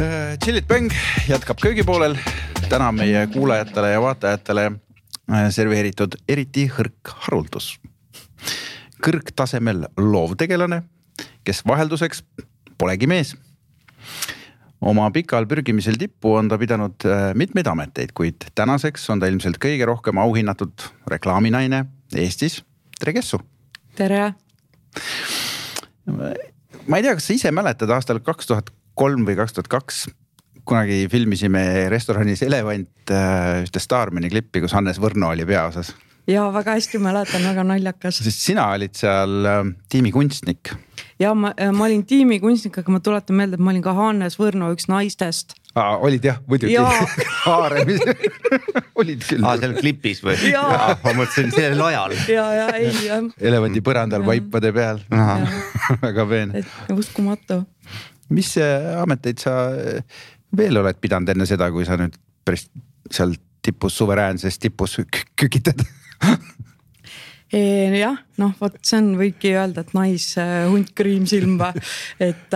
Chillit Bang jätkab köögipoolel. Täna meie kuulajatele ja vaatajatele serveeritud eriti hõrk haruldus. Kõrgtasemel loovtegelane, kes vahelduseks polegi mees. Oma pikal pürgimisel tippu on ta pidanud mitmeid ameteid, kuid tänaseks on ta ilmselt kõige rohkem auhinnatud reklaaminaine Eestis. Tere Kessu! Tere! Ma ei tea, kas sa ise mäletad aastal 2003 või 2002 kunagi filmisime restoranis Elevant ühte Starmani klippi, kus Hannes Võrno oli peaosas. Ja väga hästi mäletan, väga naljakas. Sest sina olid seal tiimikunstnik. Ja ma olin tiimikunstnik, aga ma tuletan meelde, et ma olin ka Hannes Võrno üks naistest. Olid jah, muidugi. Haaremis. Olid küll. Seal klipis või? Ma mõtlesin sellel ajal. Ei. Elevanti põrandal vaipade peal. Väga peen. Uskumatu. Mis ameteid sa veel oled pidanud enne seda, kui sa nüüd päris seal tipus, suveräänses tipus kükitad? Jah, vot see on võibki öelda, et hunt kriimsilma. Et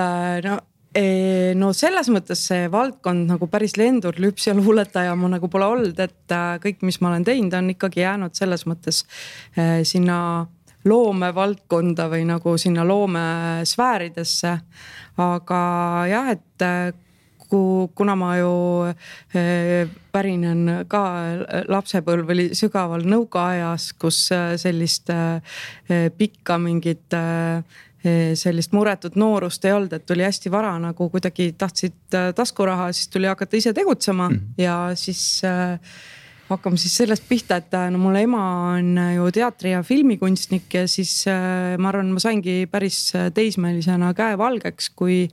selles mõttes see valdkond nagu päris lendur lüps ja luuletaja ma nagu pole olnud, et kõik, mis ma olen teinud, on ikkagi jäänud selles mõttes sinna loome valdkonda või nagu sinna loome sfääridesse. Aga jah, et kuna ma ju pärinen ka lapsepõlv oli sügaval nõukaajas, kus sellist pikka mingit sellist muretut noorust ei olnud, et tuli hästi vara nagu kuidagi tahtsid taskuraha, siis tuli hakata ise tegutsema ja siis hakkame siis sellest pihta, et mul ema on ju teatri- ja filmikunstnik ja siis ma arvan, ma saingi päris teismelisena käe valgeks, kui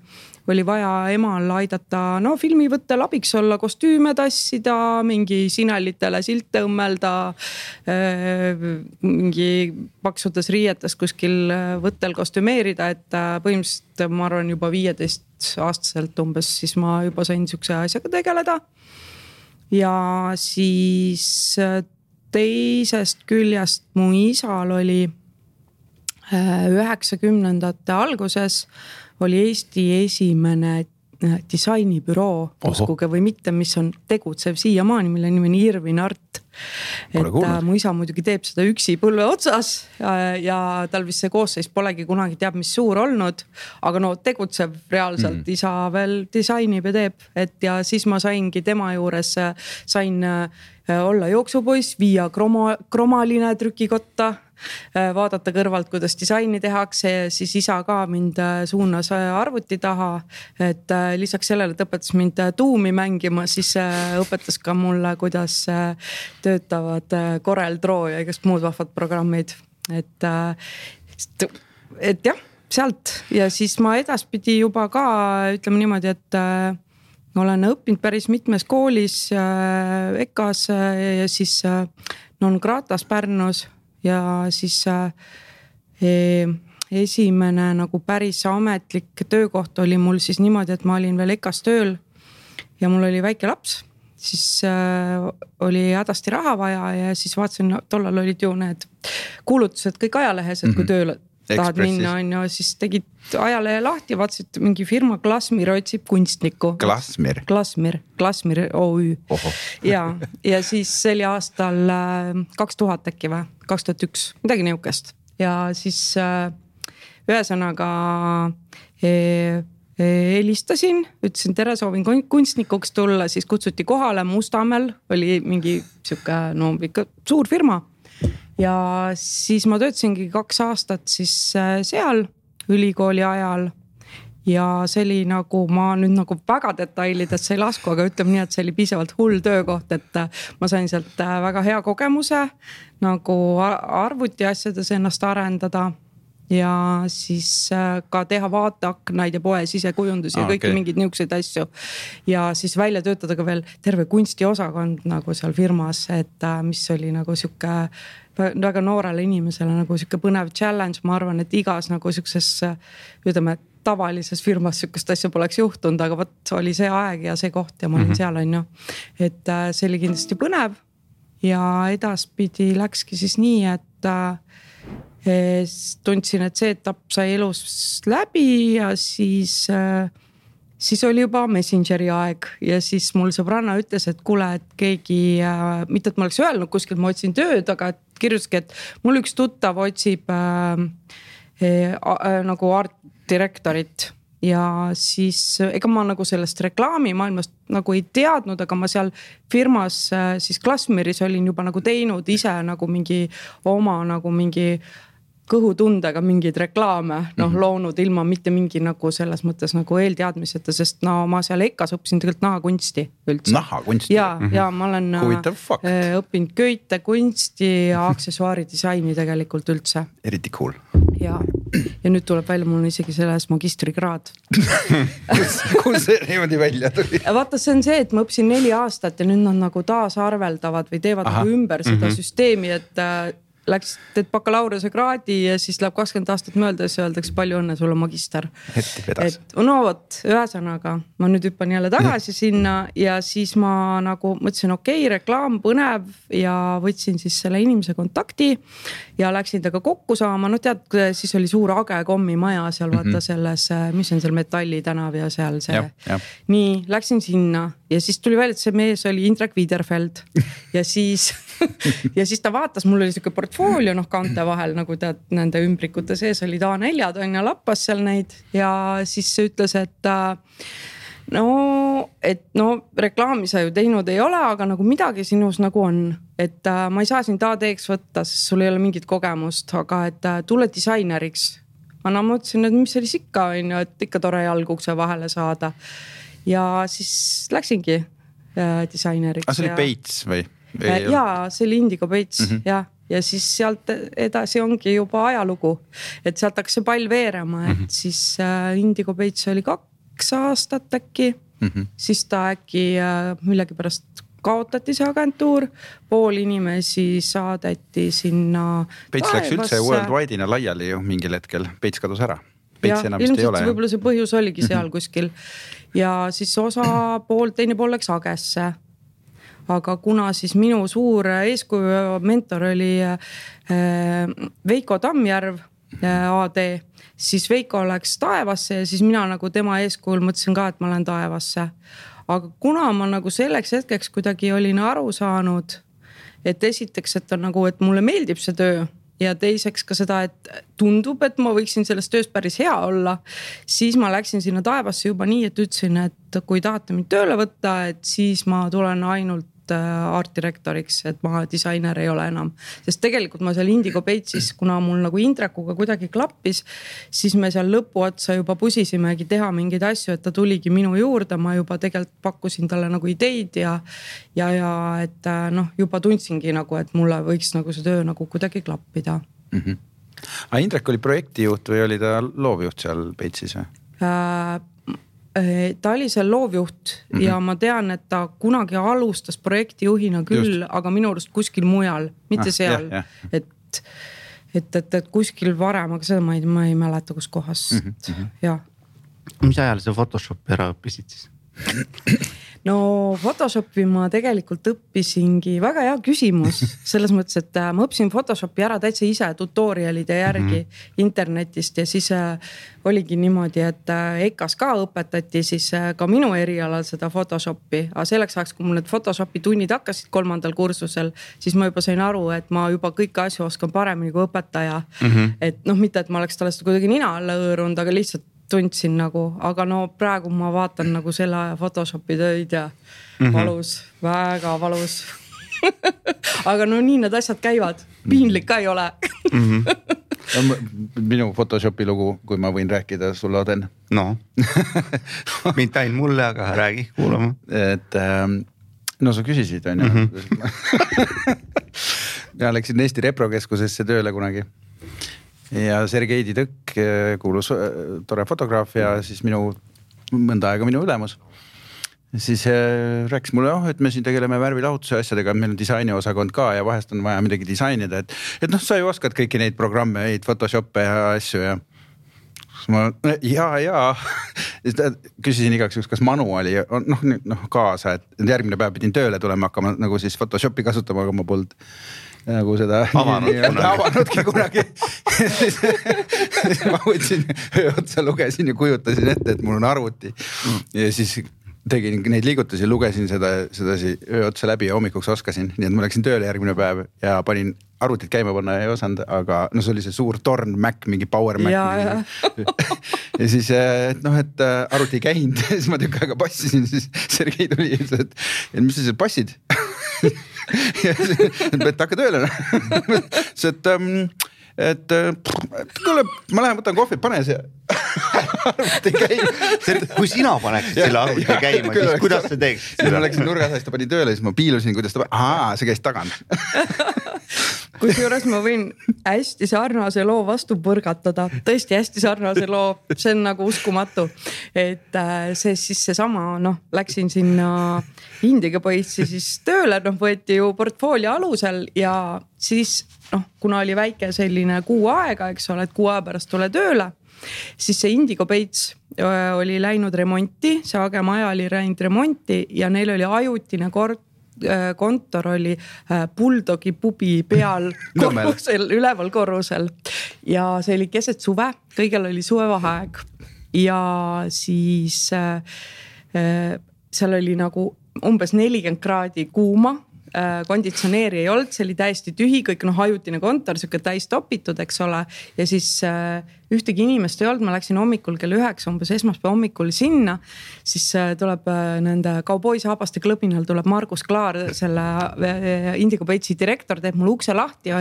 oli vaja emal aidata filmivõttel abiks olla, kostüüme tassida, mingi sinelitele silte õmmelda, mingi paksudes riietes kuskil võttel kostümeerida, et põhimõtteliselt ma arvan juba 15-aastaselt umbes, siis ma juba sain niisuguse asjaga tegeleda. Ja siis teisest küljest mu isal oli 90ndate alguses oli Eesti esimene disainibüroo, uskuge või mitte, mis on tegutsev siiamaani, mille nimi on Irvin Art. Et mu isa muidugi teeb seda üksi põlve otsas ja tal vist see koosseis polegi kunagi teab, mis suur olnud, aga tegutsev reaalselt isa veel disainib ja teeb, et ja siis ma saingi tema juures, sain olla jooksupoiss, viia kromaline trükikotta, vaadata kõrvalt, kuidas disaini tehakse ja siis isa ka mind suunas arvuti taha, et lisaks sellele, et õpetas mind tuumi mängima, siis õpetas ka mulle, kuidas töötavad Corel Draw ja igast muud vahvad programmid, et jah, sealt ja siis ma edaspidi juba ka ütleme niimoodi, et olen õppinud päris mitmes koolis EKAs ja siis non gratas Pärnus ja siis esimene nagu päris ametlik töökoht oli mul siis niimoodi, et ma olin veel EKAs tööl ja mul oli väike laps, siis oli hädasti raha vaja ja siis vaatasin, tollal olid ju need kuulutused kõik ajalehes, et kui tööle tahad minna, siis tegid ajalehe lahti, vaatasid mingi firma Glasmir otsib kunstnikku. Glasmir OÜ. Ja siis see oli aastal 2000 äkki või, 2001, midagi niukest. Ja siis ühesõnaga helistasin, ütlesin tere, soovin kunstnikuks tulla, siis kutsuti kohale Mustamäel, oli mingi siuke, ikka suur firma. Ja siis ma töötasingi 2 aastat siis seal ülikooli ajal ja see oli nagu, ma nüüd nagu väga detailidesse ei lasku, aga ütleme nii, et see oli piisavalt hull töökoht, et ma sain sealt väga hea kogemuse nagu arvuti asjades ennast arendada ja siis ka teha vaateaknaid ja poe sisekujundusi ja kõiki mingeid niisuguseid asju. Ja siis välja töötada ka veel terve kunstiosakond nagu seal firmas, et mis oli nagu siuke väga noorele inimesele nagu siuke põnev challenge. Ma arvan, et igas nagu siukses, ütleme, tavalises firmas siukest asja poleks juhtunud, aga võt oli see aeg ja see koht ja ma olin seal on ju. Et see oli kindlasti põnev ja edaspidi läkski siis nii, et tundsin, et see etapp sai elus läbi ja siis siis oli juba Messengeri aeg ja siis mul sõbranna ütles, et kuule, et keegi, mitte et ma oleks öelnud kuskil, ma otsin tööd, aga kirjutaski, et mul üks tuttav otsib nagu art-direktorit ja siis ega ma nagu sellest reklaamimaailmast nagu ei teadnud, aga ma seal firmas siis Glassmeris olin juba nagu teinud ise nagu mingi oma nagu mingi kõhutundega mingeid reklaame, loonud ilma mitte mingi nagu selles mõttes nagu eelteadmiseta, sest ma seal EKAs õppisin tegelikult nahakunsti üldse. Nahakunsti? Ja ma olen õppinud köite, kunsti ja aksessuaaridisaini tegelikult üldse. Eriti cool. Ja nüüd tuleb välja, mul on isegi selles magistrikraad. Kus see niimoodi välja tuli? Vaata, see on see, et ma õppisin 4 aastat ja nüüd nad nagu taasarveldavad või teevad nagu ümber seda süsteemi, et läks, teed bakalaureuse kraadi ja siis läheb 20 aastat mööda ja siis öeldakse palju õnne, sul on magister. Et no vot, ühesõnaga, ma nüüd hüppan jälle tagasi sinna ja siis ma nagu mõtlesin, okei, reklaam põnev ja võtsin siis selle inimese kontakti ja läksin temaga kokku saama. No tead, siis oli suur Age kommimaja seal vaata selles, mis on seal Metalli tänav ja seal see. Nii, läksin sinna ja siis tuli välja, et see mees oli Indrek Widerfeld ja siis ta vaatas, mul oli siuke portfoolio kaante vahel, nagu tead, nende ümbrikute sees oli A4 on ja lappas seal neid ja siis ütles, et reklaami sa ju teinud ei ole, aga nagu midagi sinus nagu on, et ma ei saa sind AD-ks võtta, sest sul ei ole mingit kogemust, aga et tule disaineriks. Ma mõtlesin, et mis siis ikka on ju, et ikka tore jalg ukse vahele saada ja siis läksingi disaineriks. See oli Peits või? Jaa, see oli Indigo Peits ja siis sealt edasi ongi juba ajalugu, et sealt hakkas see pall veerema, et siis Indigo Peits oli 2 aastat äkki, siis ta äkki millegi pärast kaotati see agentuur, pool inimesi saadeti sinna Peits läks üldse worldwide'ina laiali ju mingil hetkel, Peits kadus ära. Peits enam vist ei ole. Võib-olla see põhjus oligi seal kuskil ja siis teine pool läks Agesse. Aga kuna siis minu suur eeskuju mentor oli Veiko Tammjärv AD, siis Veiko läks taevasse ja siis mina nagu tema eeskujul mõtlesin ka, et ma lähen taevasse. Aga kuna ma nagu selleks hetkeks kuidagi olin aru saanud, et esiteks, et on nagu, et mulle meeldib see töö ja teiseks ka seda, et tundub, et ma võiksin selles töös päris hea olla, siis ma läksin sinna taevasse juba nii, et ütlesin, et kui tahate mind tööle võtta, et siis ma tulen ainult art-direktoriks, et ma disainer ei ole enam. Sest tegelikult ma seal Indigo Peitsis, kuna mul nagu Indrekuga kuidagi klappis, siis me seal lõpuotsa juba pusisimegi teha mingeid asju, et ta tuligi minu juurde, ma juba tegelikult pakkusin talle nagu ideid ja et juba tundsingi nagu, et mulle võiks nagu see töö nagu kuidagi klappida. Aga Indrek oli projektijuht või oli ta loovjuht seal Peitsis või? Ta oli seal loovjuht ja ma tean, et ta kunagi alustas projektijuhina küll, aga minu arust kuskil mujal, mitte seal. Et kuskil varem, aga seda ma ei mäleta kus kohas. Mis ajal sa Photoshopi ära õppisid siis? No Photoshopi ma tegelikult õppisingi, väga hea küsimus, selles mõttes, et ma õppisin Photoshopi ära täitsa ise tutorialide järgi internetist ja siis oligi niimoodi, et EKAs ka õpetati siis ka minu erialal seda Photoshopi, aga selleks ajaks, kui mul need Photoshopi tunnid hakkasid 3. kursusel, siis ma juba sain aru, et ma juba kõiki asju oskan paremini kui õpetaja. Et mitte, et ma oleks talle seda kuidagi nina alla õõrunud, aga lihtsalt tundsin nagu, aga praegu ma vaatan nagu selle aja Photoshopi töid ja valus, väga valus. Aga nii need asjad käivad, piinlik ka ei ole. Minu Photoshopi lugu, kui ma võin rääkida sulle, Oden. No, mind ainult mulle, aga räägi, kuulama. Et sa küsisid, on ju. Ja läksin Eesti Reprokeskusesse tööle kunagi. Ja Sergeidi Tõkk kuulus tore fotograaf ja siis mõnda aega minu ülemus. Siis rääkis mulle, et me siin tegeleme värvilahutuse asjadega, meil on disainiosakond ka ja vahest on vaja midagi disainida. Et sa ju oskad kõiki neid programme, Photoshoppe ja asju ja ma, jaa. Küsisin igaks juks, kas manuali kaasa, et järgmine päev pidin tööle tulema hakkama nagu siis Photoshopi kasutama, aga ma polnud nagu seda avanudki kunagi. Siis ma võtsin öö otsa, lugesin ja kujutasin ette, et mul on arvuti ja siis tegin neid liigutusi, lugesin sedasi öö otsa läbi ja hommikuks oskasin. Nii et ma läksin tööle järgmine päev ja panin arvutit käima panna ei osanud, aga no see oli see suur torn Mac, mingi Power Mac. Ja siis, et arvuti ei käinud, siis ma tükk aega passisin, siis Sergei tuli ja ütles, et mis sa seal passid? Ja et hakka tööle. Et kuule, ma lähen võtan kohvi, pane see arvuti käima. Kui sina paneksid selle arvuti käima, siis kuidas sa teeksid? Siis ma läksin nurgasast, ta pani tööle, siis ma piilusin, kuidas ta see käis tagant. Kusjuures ma võin hästi sarnase loo vastu põrgatada, tõesti hästi sarnase loo, see on nagu uskumatu. Et see siis seesama, läksin sinna Indiga põitsi siis tööle, võeti ju portfoolio alusel ja siis kuna oli väike selline kuu aega, eks ole, et kuu aja pärast tule tööle, siis see Indigo Peits oli läinud remonti, see Agemaja oli läinud remonti ja neil oli ajutine kontor oli Bulldogi pubi peal korrusel, üleval korrusel ja see oli keset suve, kõigel oli suvevaheaeg ja siis seal oli nagu umbes 40 kraadi kuuma, konditsioneeri ei olnud, see oli täiesti tühi, kõik ajutine kontor, siuke täis topitud, eks ole. Ja siis ühtegi inimest ei olnud, ma läksin hommikul kell 9, umbes esmaspäeva hommikul sinna, siis tuleb nende kauboisaabaste klõbinal tuleb Margus Klaar, selle Indigo Peitsi direktor, teeb mul ukse lahti,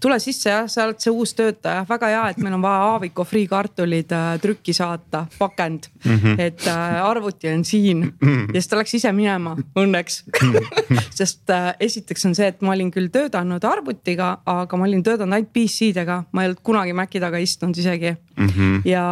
tule sisse ja sa oled see uus töötaja, väga hea, et meil on vaja Aaviko friikartulid trükki saata, pakend, et arvuti on siin ja siis ta läks ise minema, õnneks, sest esiteks on see, et ma olin küll töötanud arvutiga, aga ma olin töötanud ainult PC-dega, ma ei olnud kunagi Maci taga istunud isegi. Ja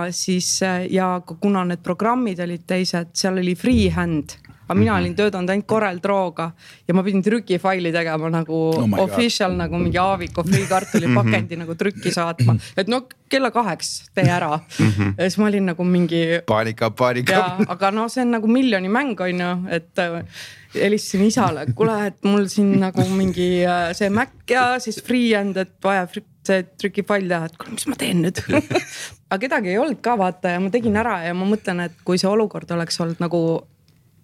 siis, ja kuna need programmid olid teised, seal oli freehand, aga mina olin töötanud ainult CorelDraw'ga ja ma pidin trükifaili tegema nagu official, nagu mingi Aaviko friikartuli pakendi nagu trükki saatma, et kella 8 tee ära. Ja siis ma olin nagu mingi paanika. Ja, aga see on nagu miljoni mäng on ju, et helistasin isale, kuule, et mul siin nagu mingi see Mac ja siis freehand, et vaja see trükifail teha, et kuule, mis ma teen nüüd? Aga kedagi ei olnud ka vaata ja ma tegin ära ja ma mõtlen, et kui see olukord oleks olnud nagu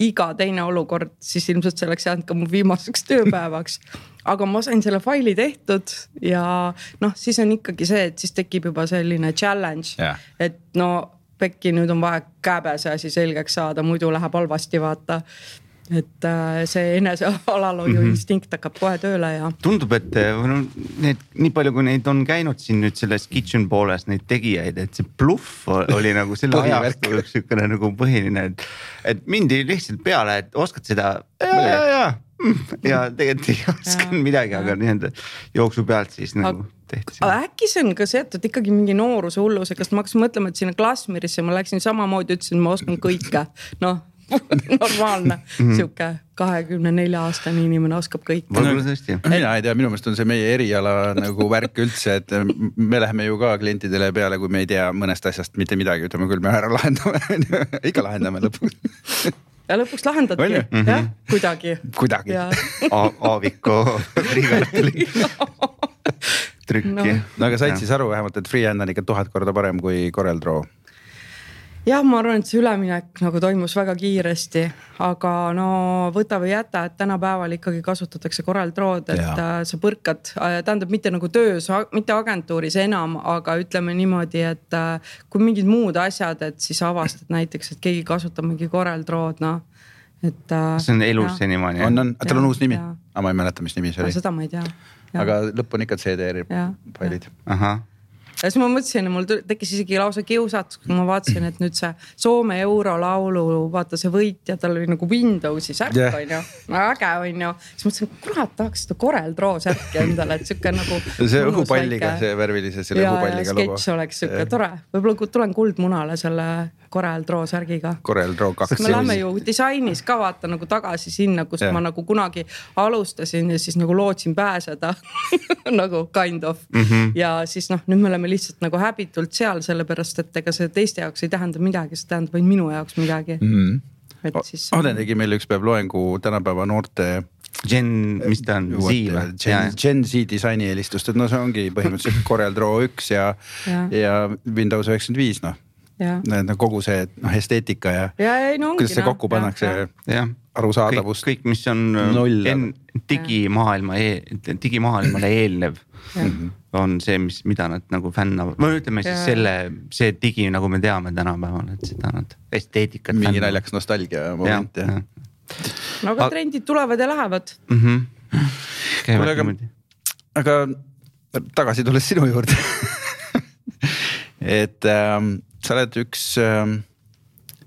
iga teine olukord, siis ilmselt see oleks jäänud ka mu viimaseks tööpäevaks. Aga ma sain selle faili tehtud ja siis on ikkagi see, et siis tekib juba selline challenge, et pekki nüüd on vaja käbese asi selgeks saada, muidu läheb halvasti vaata. Et see enese alalhoiu instinkt hakkab kohe tööle ja tundub, et nii palju kui neid on käinud siin nüüd selles kitchen pooles neid tegijaid, et see bluff oli nagu selle ajastu üks sükene nagu põhiline, et mindi lihtsalt peale, et oskad seda ja tegelikult ei oskan midagi, aga nii-enda jooksu pealt siis nagu tehti. Äkki see on ka seotud ikkagi mingi nooruse hulluse, kas ma hakkasin mõtlema, et sinna Klasmirisse ma läksin samamoodi, ütlesin, ma oskan kõike, normaalne, siuke 24-aastane inimene oskab kõik. Mina ei tea, minu meelest on see meie eriala nagu värk üldse, et me läheme ju ka klientidele peale, kui me ei tea mõnest asjast mitte midagi, ütleme küll, me ära lahendame, ikka lahendame lõpuks. Ja lõpuks lahendadki, jah, kuidagi. Aaviko friikartuli trükki. Aga said siis aru vähemalt, et freehand on ikka 1000 korda parem kui CorelDRAW? Jah, ma arvan, et see üleminek nagu toimus väga kiiresti, aga võta või jäta, et tänapäeval ikkagi kasutatakse CorelDRAW'd, et sa põrkad, tähendab mitte nagu töös, mitte agentuuris enam, aga ütleme niimoodi, et kui mingid muud asjad, et siis avastad näiteks, et keegi kasutab mingi CorelDRAW'd, see on elus senimani. Tal on uus nimi, aga ma ei mäleta, mis nimi see oli. Seda ma ei tea. Aga lõpp on ikka CDR-failid. Ja siis ma mõtlesin, mul tekkis isegi lausa kiusatus, kui ma vaatasin, et nüüd see Soome eurolaulu, vaata see võitja, tal oli nagu Windowsi särk on ju, äge on ju. Siis mõtlesin, kurat, tahaks seda CorelDRAW särki endale, et siuke nagu see õhupalliga, see värvilise, selle õhupalliga logo. Ja sketš oleks siuke tore, võib-olla tulen kuldmunale selle CorelDRAW särgiga. CorelDRAW 2. Me lähme ju disainis ka vaata nagu tagasi sinna, kus ma nagu kunagi alustasin ja siis nagu lootsin pääseda nagu kind of. Ja siis nüüd me oleme lihtsalt nagu häbitult seal, sellepärast, et ega see teiste jaoks ei tähenda midagi, see tähendab vaid minu jaoks midagi. Aden tegi meil üks päev loengu tänapäeva noorte mis ta on, Z või? Gen Z disaini eelistust, et no see ongi põhimõtteliselt Corel Draw 1 ja Windows 95 noh. Kogu see esteetika ja kuidas see kokku pannakse arusaadavust. Kõik, mis on digimaailmale eelnev on see, mida nad nagu fännavad. Või ütleme siis see digi, nagu me teame tänapäeval, et seda nad esteetikat mingi naljaks nostalgia moment. No aga trendid tulevad ja lähevad. Aga tagasi tulles sinu juurde. Et sa oled üks,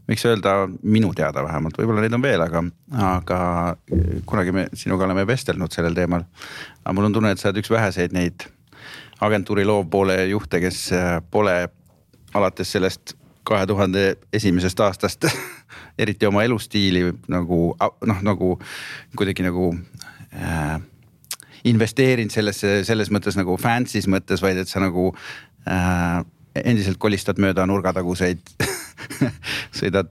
miks öelda minu teada vähemalt, võib-olla neid on veel, aga kunagi me sinuga oleme vestelnud sellel teemal. Aga mul on tunne, et sa oled üks väheseid neid agentuuri loovpoole juhte, kes pole alates sellest 2001. aastast eriti oma elustiili nagu kuidagi nagu investeerinud selles mõttes nagu fancy's mõttes, vaid et sa nagu endiselt kolistad mööda nurgataguseid sõidad,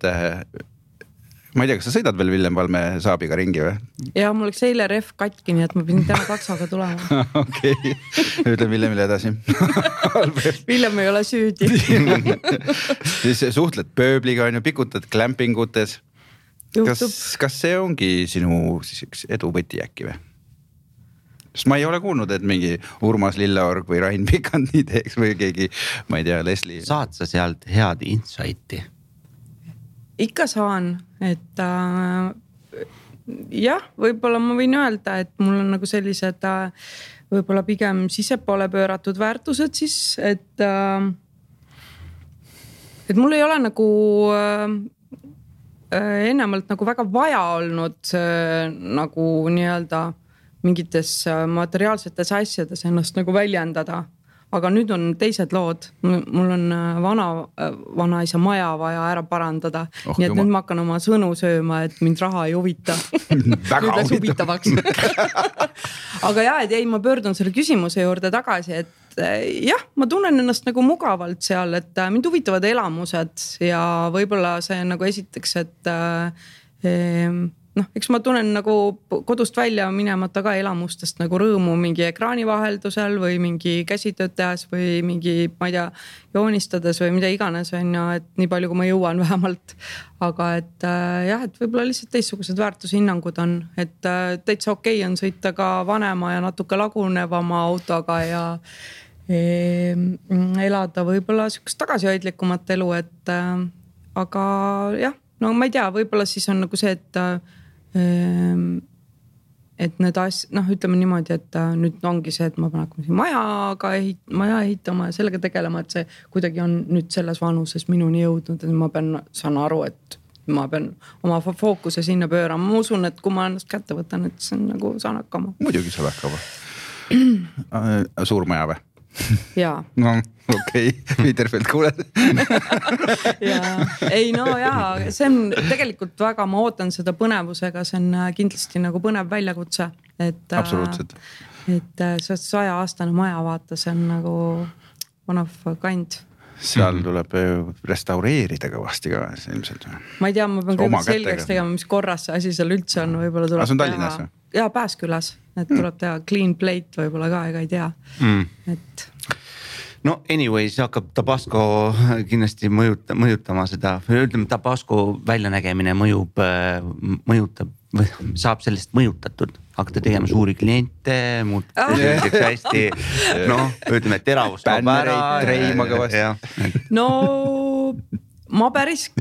ma ei tea, kas sa sõidad veel Villem Valme Saabiga ringi või? Ja mul oleks eile ref katki, nii et ma pidin täna taksoga tulema. Okei, ütle Villemile edasi. Villem ei ole süüdi. Siis suhtled pööbliga, pikutad glampingutes. Kas see ongi sinu edu võti äkki või? Sest ma ei ole kuulnud, et mingi Urmas Lilleorg või Rain Pikand nii teeks või keegi, ma ei tea, Leslie. Saad sa sealt head insighti? Ikka saan, et võib-olla ma võin öelda, et mul on nagu sellised võib-olla pigem sisepoole pööratud väärtused siis, et mul ei ole nagu ennemalt nagu väga vaja olnud nagu nii-öelda mingites materiaalsetes asjades ennast nagu väljendada. Aga nüüd on teised lood. Mul on vanaisa maja vaja ära parandada. Nii et nüüd ma hakkan oma sõnu sööma, et mind raha ei huvita. Nüüd läks huvitavaks. Aga ma pöördun selle küsimuse juurde tagasi, et ma tunnen ennast nagu mugavalt seal, et mind huvitavad elamused ja võib-olla see nagu esiteks, et eks ma tunnen nagu kodust välja minemata ka elamustest nagu rõõmu mingi ekraani vaheldusel või mingi käsitööd tehes või mingi, ma ei tea, joonistades või mida iganes on ja et nii palju, kui ma jõuan vähemalt. Aga et et võib-olla lihtsalt teistsugused väärtushinnangud on, et täitsa okei on sõita ka vanema ja natuke lagunevama autoga ja elada võib-olla sükest tagasihoidlikumat elu, et aga no ma ei tea, võib-olla siis on nagu see, et need ütleme niimoodi, et nüüd ongi see, et ma pean hakkama maja ehitama ja sellega tegelema, et see kuidagi on nüüd selles vanuses minuni jõudnud, et ma saan aru, et ma pean oma fookuse sinna pöörama. Ma usun, et kui ma ennast kätte võtan, et see on nagu saan hakkama. Muidugi saab hakkama. Suur maja või? Jaa. No okei, Viderfeld kuuled. See on tegelikult väga, ma ootan seda põnevusega, see on kindlasti nagu põnev väljakutse. Absoluutselt. Et see 100-aastane maja vaata, see on nagu one of a kind. Seal tuleb restaureerida kõvasti ka ilmselt. Ma ei tea, ma pean kõigepealt selgeks tegema, mis korras see asi seal üldse on. Võib-olla tuleb see on Tallinnas või? Jaa, Pääskülas, et tuleb teha clean plate võib-olla ka, ega ei tea. Et no anyways, hakkab Tabasco kindlasti mõjutama seda, ütleme Tabasco väljanägemine mõjutab või saab sellest mõjutatud, hakata tegema suuri kliente, selliseks hästi, ütleme teravust. Bännereid, treima kõvasti. No ma päris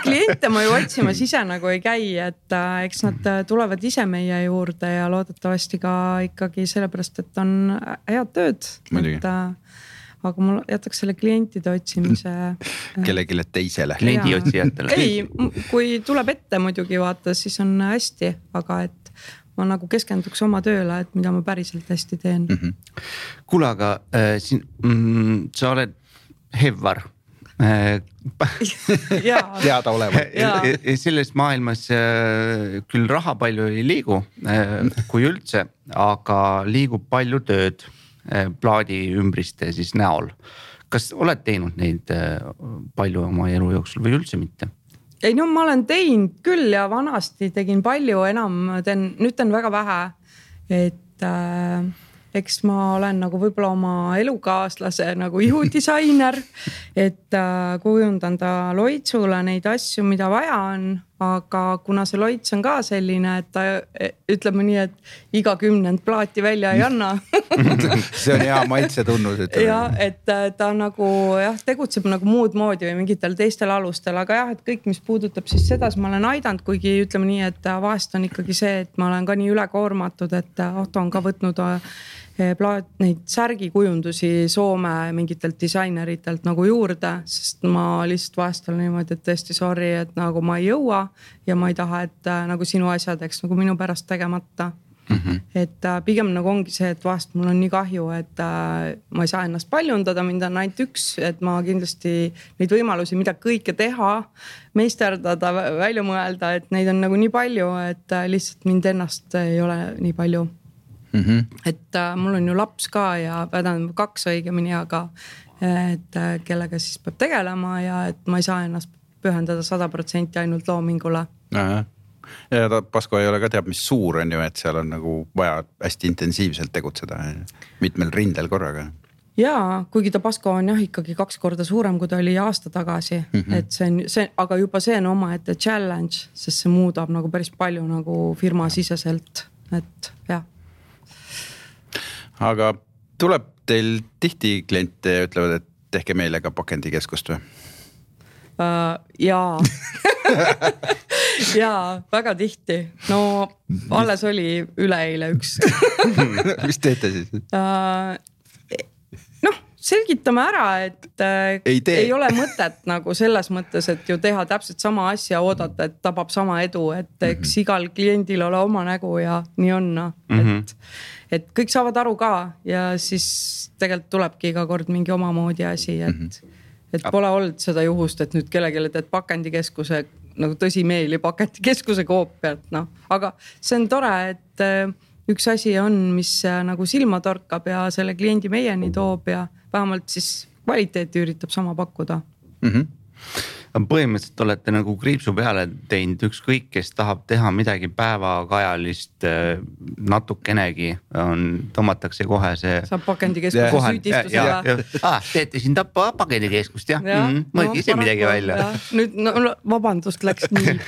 kliente ma ju otsimas ise nagu ei käi, et eks nad tulevad ise meie juurde ja loodetavasti ka ikkagi sellepärast, et on head tööd. Aga ma jätaks selle klientide otsimise kellegile teisele. Kliendi otsijatele. Ei, kui tuleb ette muidugi vaata, siis on hästi, aga et ma nagu keskenduks oma tööle, et mida ma päriselt hästi teen. Kuule, aga sa oled Hevvar. Teada olema. Selles maailmas küll raha palju ei liigu, kui üldse, aga liigub palju tööd plaadi ümbriste siis näol. Kas oled teinud neid palju oma elu jooksul või üldse mitte? ei no ma olen teinud küll ja vanasti tegin palju, enam nüüd teen väga vähe. Et eks ma olen nagu võib-olla oma elukaaslase nagu ihudisainer, et kujundan ta loitsule neid asju, mida vaja on, aga kuna see loits on ka selline, et ta ütleme nii, et iga 10 plaati välja ei anna. See on hea maitse tunnus. Ja, et ta nagu tegutseb nagu muud moodi või mingitel teistel alustel, aga jah, et kõik, mis puudutab siis seda, ma olen aidanud, kuigi ütleme nii, et vahest on ikkagi see, et ma olen ka nii ülekoormatud, et Ahto on ka võtnud neid särgikujundusi Soome mingitelt disaineritelt nagu juurde, sest ma lihtsalt vahest olen niimoodi, et tõesti sorry, et nagu ma ei jõua ja ma ei taha, et nagu sinu asjad, eks nagu minu pärast tegemata. Et pigem nagu ongi see, et vahest mul on nii kahju, et ma ei saa ennast paljundada, mind on ainult üks, et ma kindlasti neid võimalusi, mida kõike teha, meisterdada, välja mõelda, et neid on nagu nii palju, et lihtsalt mind ennast ei ole nii palju. Et mul on ju laps ka ja 2 õigemini, aga et kellega siis peab tegelema ja et ma ei saa ennast pühendada 100% ainult loomingule. Ja Pasko ei ole ka teab, mis suur on ju, et seal on nagu vaja hästi intensiivselt tegutseda mitmel rindel korraga. Jaa, kuigi ta Pasko on jah ikkagi 2 korda suurem, kui ta oli aasta tagasi, et see, aga juba see on omaette challenge, sest see muudab nagu päris palju nagu firma siseselt, et jah. Aga tuleb teil tihti kliente ja ütlevad, et tehke meile ka pakendikeskust või? Jaa. Jaa, väga tihti. No alles oli üleeile üks. Mis teete siis? Selgitame ära, et ei ole mõtet nagu selles mõttes, et ju teha täpselt sama asja, oodata, et tabab sama edu, et eks igal kliendil ole oma nägu ja nii on. Et kõik saavad aru ka ja siis tegelikult tulebki iga kord mingi omamoodi asi, et pole olnud seda juhust, et nüüd kellegele teed pakendikeskuse, nagu tõsimeeli pakendikeskuse koopiat, aga see on tore, et üks asi on, mis nagu silma torkab ja selle kliendi meieni toob ja vähemalt siis kvaliteeti üritab sama pakkuda. Põhimõtteliselt olete nagu kriipsu peale teinud ükskõik, kes tahab teha midagi päevakajalist natukenegi, tõmmatakse kohe see. Saab pakendikeskuse süüdistusele. Teete siin tappa pakendikeskust, jah? Mõelge ise midagi välja. Nüüd vabandust läks nii.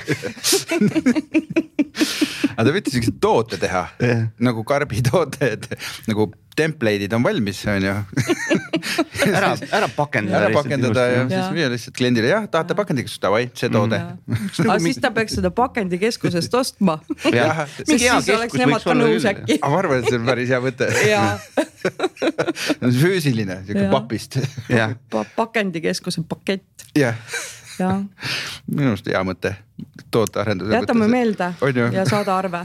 Aga te võite sellised toote teha, nagu karbitoote, nagu template'id on valmis, on ju. Ära pakendada. Ära pakendada ja siis viia lihtsalt kliendile, jah, tahate pakendikeskust, davai, see toode. Aga siis ta peaks seda pakendikeskusest ostma. Sest siis oleks nemad ka nõus äkki. Aga ma arvan, et see on päris hea võte. Füüsiline, siuke papist. Pakendikeskuse pakett. Jah. Minu arust hea mõte. Tootearenduse jätame meelde ja saada arve.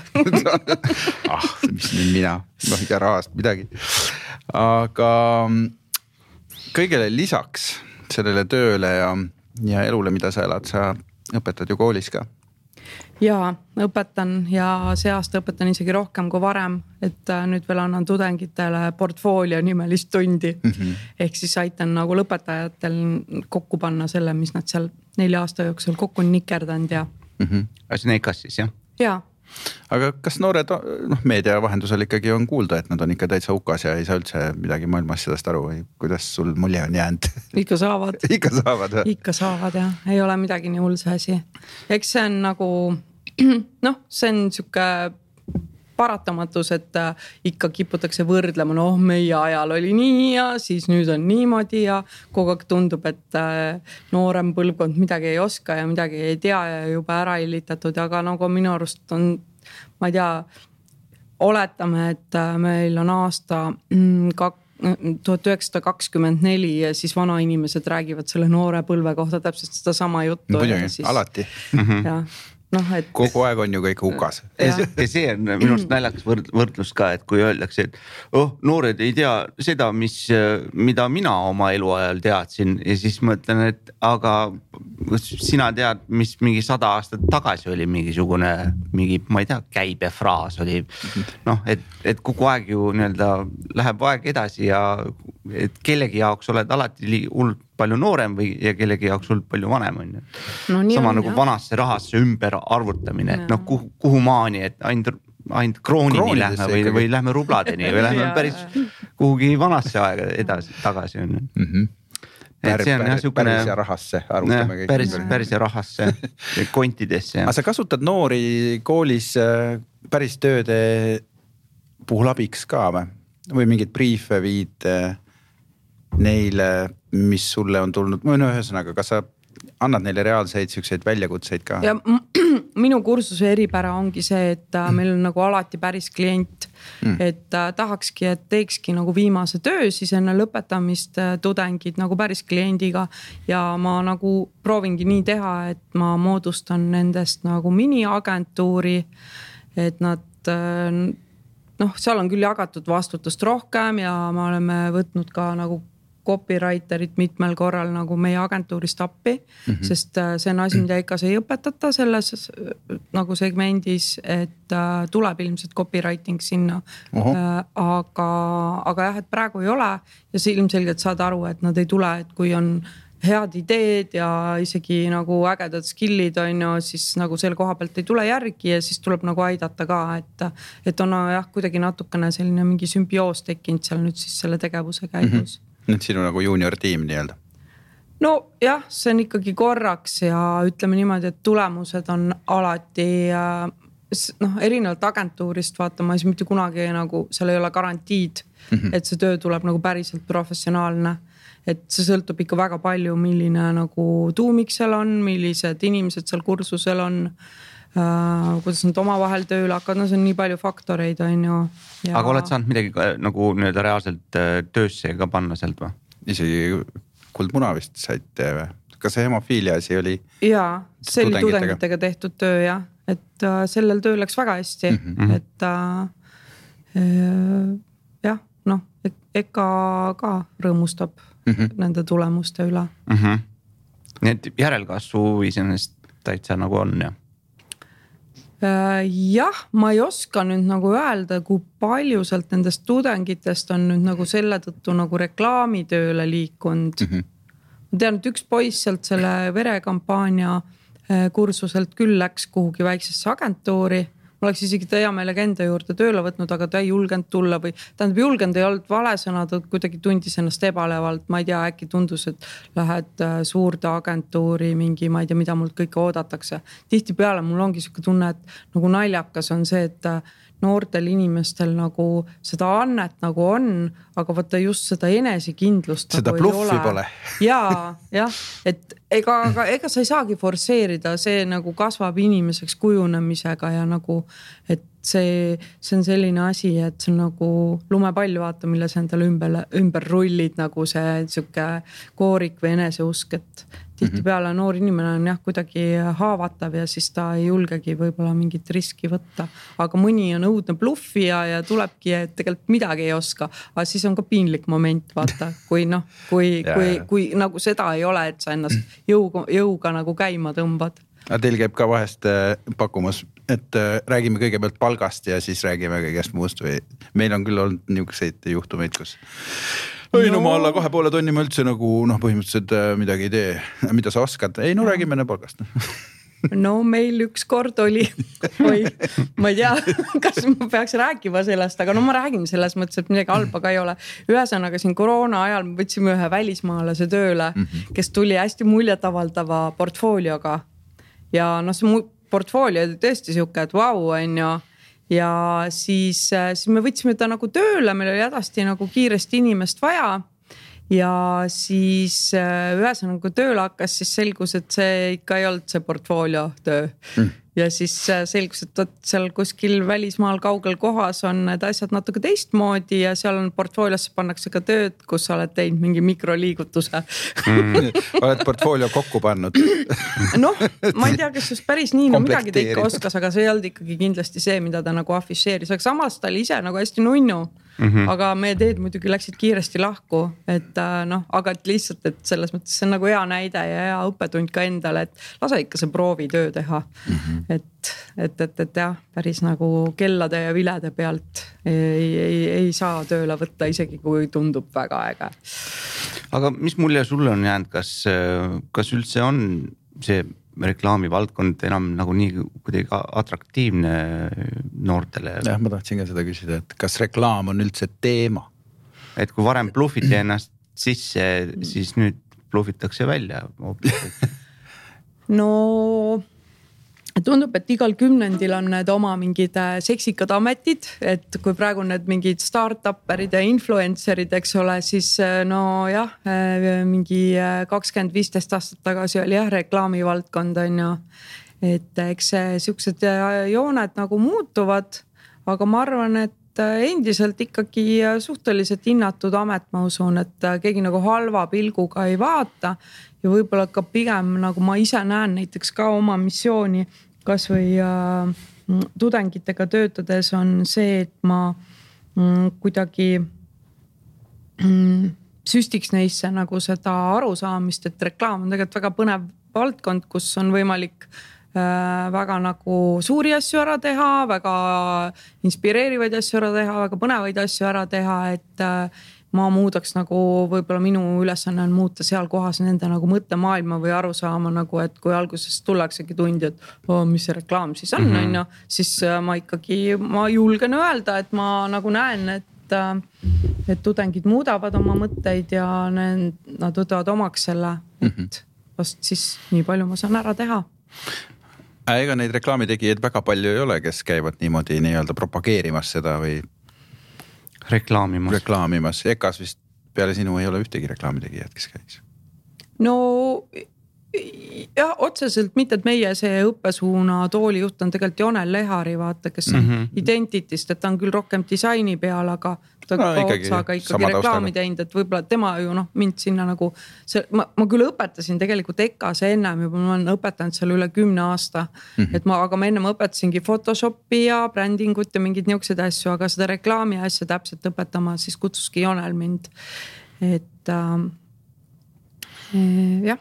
Mis nüüd mina, ja rahast midagi. Aga kõigele lisaks sellele tööle ja elule, mida sa elad, sa õpetad ju koolis ka. Jaa, õpetan ja see aasta õpetan isegi rohkem kui varem, et nüüd veel annan tudengitele portfoolio nimelist tundi. Ehk siis aitan nagu lõpetajatel kokku panna selle, mis nad seal 4 aasta jooksul kokku on nikerdanud ja. See on EKAS siis, jah? Jaa. Aga kas noored meedia vahendusel ikkagi on kuulda, et nad on ikka täitsa hukas ja ei saa üldse midagi maailma asjadest aru või kuidas sul mulje on jäänud? Ikka saavad. Ikka saavad, või? Ikka saavad, jah. Ei ole midagi nii hull see asi. Eks see on nagu, see on siuke paratamatus, et ikka kiputakse võrdlema, meie ajal oli nii ja siis nüüd on niimoodi ja kogu aeg tundub, et noorem põlvkond midagi ei oska ja midagi ei tea ja juba ära illitatud, aga nagu minu arust on, ma ei tea, oletame, et meil on aasta 1924 ja siis vanainimesed räägivad selle noore põlve kohta täpselt seda sama juttu. Muidugi, alati. Jah. Et... kogu aeg on ju kõik hukas. Ja see on minu arust naljakas võrdlus ka, et kui öeldakse, et noored ei tea seda, mida mina oma eluajal teadsin ja siis mõtlen, et aga sina tead, mis mingi 100 aastat tagasi oli mingisugune, ma ei tea, käibefraas oli. Et kogu aeg ju nii-öelda läheb aeg edasi ja et kellegi jaoks oled alati hullult palju noorem ja kellegi jaoks hullult palju vanem on ju. No, sama on, nagu vanasse rahasse ümber arvutamine, et kuhu maani, et ainult kroonini lähme või lähme rubladeni või lähme päris kuhugi vanasse aega tagasi on ju. Päris ja rahasse arvutame kõik. Päris ja rahasse, kontidesse. Aga sa kasutad noori koolis päris tööde puhul abiks ka või mingid briefe viid neile, mis sulle on tulnud? Ühesõnaga, kas sa annad neile reaalseid selliseid väljakutseid ka? Ja minu kursuse eripära ongi see, et meil on nagu alati päris klient, et tahakski, et teekski nagu viimase töö siis enne lõpetamist tudengid nagu päris kliendiga ja ma nagu proovingi nii teha, et ma moodustan nendest nagu miniagentuuri, et nad seal on küll jagatud vastutust rohkem ja me oleme võtnud ka nagu copywriterit mitmel korral nagu meie agentuurist appi, sest see on asi, mida ikka ei õpetata selles nagu segmendis, et tuleb ilmselt copywriting sinna. Aga jah, et praegu ei ole ja see ilmselgelt saad aru, et nad ei tule, et kui on head ideed ja isegi nagu ägedad skillid on ju, siis nagu selle koha pealt ei tule järgi ja siis tuleb nagu aidata ka, et on jah, kuidagi natukene selline mingi sümbioos tekkinud seal nüüd siis selle tegevuse käigus. Nüüd sinu nagu junior tiim nii-öelda? No jah, see on ikkagi korraks ja ütleme niimoodi, et tulemused on alati erinevalt agentuurist vaatama, siis mitte kunagi nagu seal ei ole garantiid, et see töö tuleb nagu päriselt professionaalne. Et see sõltub ikka väga palju, milline nagu tuumik seal on, millised inimesed seal kursusel on, kuidas nad omavahel tööle hakkavad, see on nii palju faktoreid on ju. Ja... Aga oled saanud midagi nagu nii-öelda reaalselt töösse ka panna sealt või? Isegi Kuldmuna vist saite või? Kas see hemofiilia asi oli? Jaa, see oli tudengitega tehtud töö jah, et sellel töö läks väga hästi, et jah, eka ka rõõmustab nende tulemuste üle. Nii et järelkasvu iseenesest täitsa nagu on jah? Jah, ma ei oska nüüd nagu öelda, kui palju sealt nendest tudengitest on nüüd nagu selle tõttu nagu reklaamitööle liikunud. Ma tean, et üks poiss sealt selle verekampaania kursuselt küll läks kuhugi väiksesse agentuuri. Ma oleks isegi hea meelega enda juurde tööle võtnud, aga ta ei julgenud tulla või tähendab julgenud ei olnud vale sõna, ta kuidagi tundis ennast ebalevalt. Ma ei tea, äkki tundus, et lähed suurde agentuuri mingi, ma ei tea, mida mult kõike oodatakse. Tihti peale mul ongi siuke tunne, et nagu naljakas on see, et noortel inimestel nagu seda annet nagu on, aga võtta just seda enesekindlust seda nagu bluffi ei ole. Pole. Jah, et ega sa ei saagi forsseerida, see nagu kasvab inimeseks kujunemisega ja nagu, et see on selline asi, et see on nagu lumepall vaata, mille sa endale ümber rullid nagu see siuke koorik või eneseusk, et tihti peale noor inimene on jah kuidagi haavatav ja siis ta ei julgegi võib-olla mingit riski võtta, aga mõni on õudne bluffija ja tulebki, et tegelikult midagi ei oska, aga siis on ka piinlik moment vaata, kui nagu seda ei ole, et sa ennast jõuga nagu käima tõmbad. Aga teil käib ka vahest pakkumas, et räägime kõigepealt palgast ja siis räägime kõigest muust või meil on küll olnud niisuguseid juhtumeid, kus no ma alla 2,5 tonni ma üldse nagu põhimõtteliselt midagi ei tee. Mida sa oskad? Ei, räägime palgast. No meil üks kord oli, ma ei tea, kas ma peaks rääkima sellest, aga ma räägin selles mõttes, et midagi halba ka ei ole. Ühesõnaga siin koroona ajal me võtsime ühe välismaalase tööle, kes tuli hästi muljetavaldava portfoolioga. Ja see portfoolio oli tõesti siuke, et vau, on ju. Ja siis me võtsime ta nagu tööle, meil oli hädasti nagu kiiresti inimest vaja. Ja siis ühesõnaga kui tööle hakkas, siis selgus, et see ikka ei olnud see portfoolio töö. Ja siis selgus, et seal kuskil välismaal kaugel kohas on need asjad natuke teistmoodi ja seal on portfooliosse pannakse ka tööd, kus sa oled teinud mingi mikroliigutuse. Oled portfoolio kokku pannud? Ma ei tea, kes just päris nii, midagi ta ikka oskas, aga see ei olnud ikkagi kindlasti see, mida ta nagu afisheeris. Aga samas ta oli ise nagu hästi nunnu, aga meie teed muidugi läksid kiiresti lahku, et aga et lihtsalt, et selles mõttes see on nagu hea näide ja hea õppetund ka endale, et lase ikka see proovitöö teha. Et jah, päris nagu kellade ja vilede pealt ei saa tööle võtta, isegi kui tundub väga äge. Aga mis mulje sulle on jäänud, kas üldse on see reklaamivaldkond enam nagu nii kuidagi atraktiivne noortele? Jah, ma tahtsin ka seda küsida, et kas reklaam on üldse teema? Et kui varem bluffiti ennast sisse, siis nüüd bluffitakse välja. No tundub, et igal 10 on need oma mingid seksikad ametid, et kui praegu need mingid start-upperid ja influencerid, eks ole, siis no jah, mingi 20-15 aastat tagasi oli jah reklaamivaldkond on ju, et eks siuksed jooned nagu muutuvad, aga ma arvan, et endiselt ikkagi suhteliselt hinnatud amet, ma usun, et keegi nagu halva pilguga ei vaata ja võib-olla ka pigem nagu ma ise näen näiteks ka oma missiooni kas või tudengitega töötades on see, et ma kuidagi süstiks neisse nagu seda arusaamist, et reklaam on tegelikult väga põnev valdkond, kus on võimalik väga nagu suuri asju ära teha, väga inspireerivaid asju ära teha, väga põnevaid asju ära teha, et ma muudaks nagu võib-olla minu ülesanne on muuta seal kohas nende nagu mõttemaailma või arusaama nagu, et kui alguses tullaksegi tundi, et mis see reklaam siis on, on ju, siis ma julgen öelda, et ma nagu näen, et tudengid muudavad oma mõtteid ja nad võtavad omaks selle, et vast siis nii palju ma saan ära teha. Ega neid reklaamitegijaid väga palju ei ole, kes käivad niimoodi nii-öelda propageerimas seda või reklaamimas. Ekas vist peale sinu ei ole ühtegi reklaamitegijad, kes käiks. No jah, otseselt mitte, et meie see õppesuuna toolijuht on tegelikult Jonel Lehari, vaata, kes on Identitist, et ta on küll rohkem disaini peal, aga ta ikkagi reklaami teinud, et võib-olla tema ju mind sinna nagu ma küll õpetasin tegelikult EKAS ennem juba, ma olen õpetanud seal üle 10 aasta, et aga ma ennem õpetasingi Photoshopi ja brändingut ja mingid niisugused asju, aga seda reklaami asja täpselt õpetama siis kutsuski Jonel mind, et jah.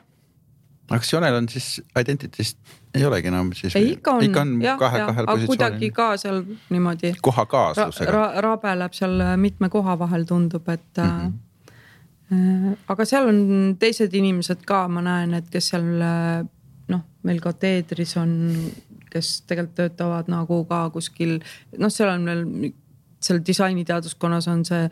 Aga kas Jonel on siis Identitist ei olegi enam siis? Ikka on kahel aga kuidagi ka seal niimoodi koha kaaslusega. Rabeleb seal mitme koha vahel tundub, et aga seal on teised inimesed ka, ma näen, et kes seal meil ka teedris on, kes tegelikult töötavad nagu ka kuskil, seal on veel seal disainiteaduskonnas on see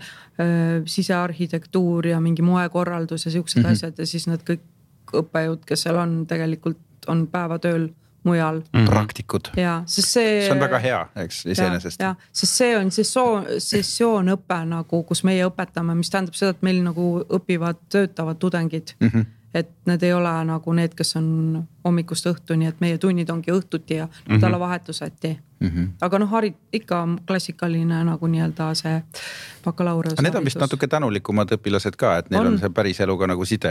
sisearhitektuur ja mingi moekorraldus ja siuksed asjad ja siis nad kõik õppejõud, kes seal on, tegelikult on päevatööl mujal. Praktikud. Ja, see on väga hea, eks iseenesest. Ja, sest see on sessioonõpe nagu, kus meie õpetame, mis tähendab seda, et meil nagu õpivad, töötavad tudengid. Et need ei ole nagu need, kes on hommikust õhtuni, et meie tunnid ongi õhtuti ja nädalavahetuseti. Aga ikka klassikaline nagu nii-öelda see bakalaureus. Need on vist natuke tänulikumad õpilased ka, et neil on see päris eluga nagu side.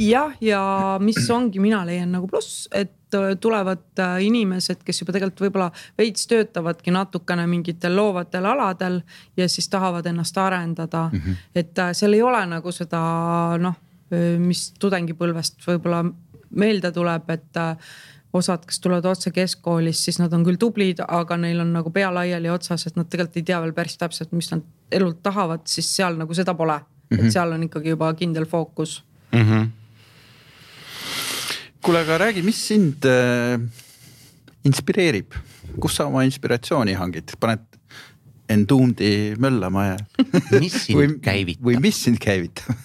Jah, ja mis ongi, mina leian nagu pluss, et tulevad inimesed, kes juba tegelikult võib-olla veits töötavadki natukene mingitel loovatel aladel ja siis tahavad ennast arendada. Et seal ei ole nagu seda mis tudengipõlvest võib-olla meelde tuleb, et osad, kes tulevad otse keskkoolist, siis nad on küll tublid, aga neil on nagu pea laiali otsas, et nad tegelikult ei tea veel päris täpselt, mis nad elult tahavad, siis seal nagu seda pole. Et seal on ikkagi juba kindel fookus. Kuule, aga räägi, mis sind inspireerib? Kus sa oma inspiratsiooni hangid? Paned Enduumdi möllama ja mis sind käivitab? Või mis sind käivitab?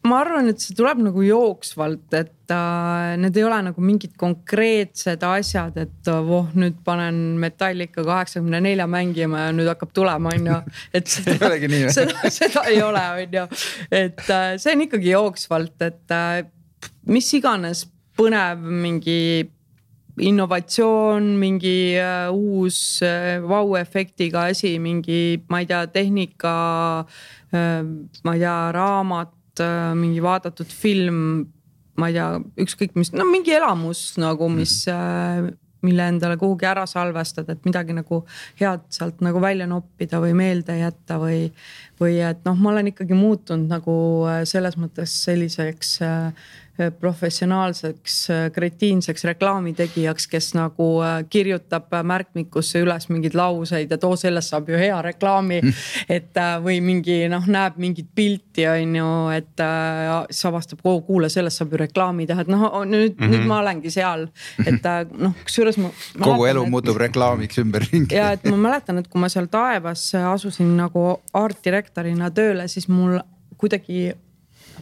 Ma arvan, et see tuleb nagu jooksvalt, et need ei ole nagu mingid konkreetsed asjad, et nüüd panen Metallica 84 mängima ja nüüd hakkab tulema, on ju. Et seda ei ole, on ju. Et see on ikkagi jooksvalt, et mis iganes põnev mingi innovatsioon, mingi uus vau-efektiga asi, mingi, ma ei tea, tehnika, ma ei tea, raamat, mingi vaadatud film, ma ei tea, ükskõik mis, mingi elamus nagu, mille endale kuhugi ära salvestad, et midagi nagu head sealt nagu välja noppida või meelde jätta või et ma olen ikkagi muutunud nagu selles mõttes selliseks professionaalseks kretiinseks reklaamitegijaks, kes nagu kirjutab märkmikusse üles mingeid lauseid, et sellest saab ju hea reklaami, et või mingi näeb mingit pilti on ju, et siis avastab, kuule, sellest saab ju reklaami teha, et nüüd ma olengi seal, et kusjuures kogu elu muutub reklaamiks ümberringi. Ja et ma mäletan, et kui ma seal Taevas asusin nagu artdirektorina tööle, siis mul kuidagi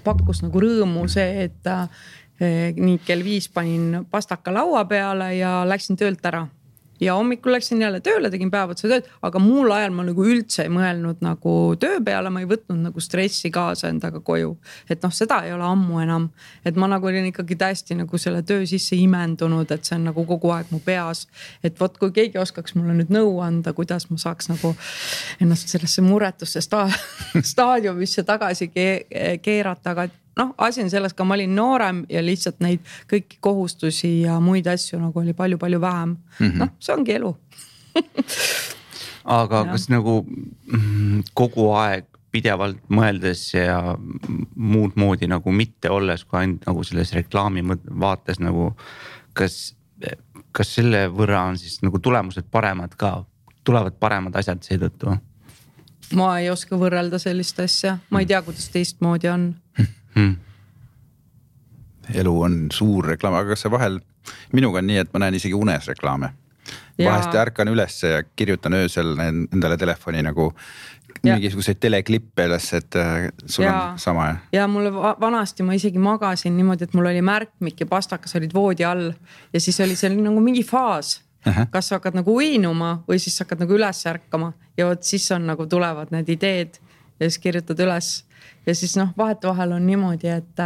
pakkus nagu rõõmu see, et nii kell 5 panin pastaka laua peale ja läksin töölt ära. Ja hommikul läksin jälle tööle, tegin päevotsa tööd, aga muul ajal ma nagu üldse ei mõelnud nagu töö peale, ma ei võtnud nagu stressi kaasa endaga koju. Et seda ei ole ammu enam, et ma nagu olin ikkagi täiesti nagu selle töö sisse imendunud, et see on nagu kogu aeg mu peas. Et võt, kui keegi oskaks mulle nüüd nõu anda, kuidas ma saaks nagu ennast sellesse muretusse staadiumisse tagasi keerata, aga asi on selles, ka ma olin noorem ja lihtsalt neid kõiki kohustusi ja muid asju nagu oli palju-palju vähem. See ongi elu. Aga kas nagu kogu aeg pidevalt mõeldes ja muud moodi nagu mitte olles, kui ainult nagu selles reklaami vaates nagu, kas selle võrra on siis nagu tulemused paremad ka, tulevad paremad asjad seetõttu? Ma ei oska võrrelda sellist asja, ma ei tea, kuidas teistmoodi on. Elu on suur reklaam, aga kas see vahel minuga on nii, et ma näen isegi unes reklaame. Vahest ärkan üles ja kirjutan öösel endale telefoni nagu mingisuguseid teleklippe üles, et sul on sama. Ja mulle vanasti ma isegi magasin niimoodi, et mul oli märkmik ja pastakas olid voodi all ja siis oli seal nagu mingi faas. Kas sa hakkad nagu uinuma või siis hakkad nagu üles ärkama ja võt siis on nagu tulevad need ideed ja siis kirjutad üles. Ja siis vahetevahel on niimoodi, et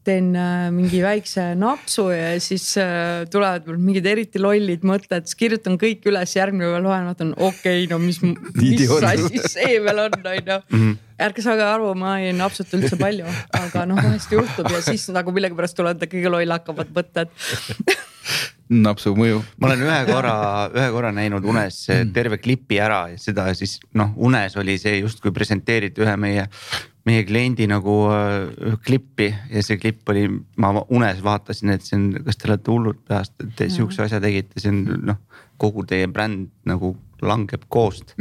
teen mingi väikse napsu ja siis tulevad mingid eriti lollid mõtted, siis kirjutan kõik üles, järgmine päev loen, vaatan, mis asi see veel on. Ärge saage aru, ma ei napsuta üldse palju, aga vahest juhtub ja siis nagu millegi pärast tulevad kõige loll hakkavad mõtted. Napsu mõju. Ma olen ühe korra näinud unes terve klipi ära ja seda siis unes oli see justkui presenteeriti ühe meie kliendi nagu klippi ja see klipp oli, ma unes vaatasin, et see on, kas te olete hullud peast, et te siukse asja tegite, see on kogu teie bränd nagu langeb koost.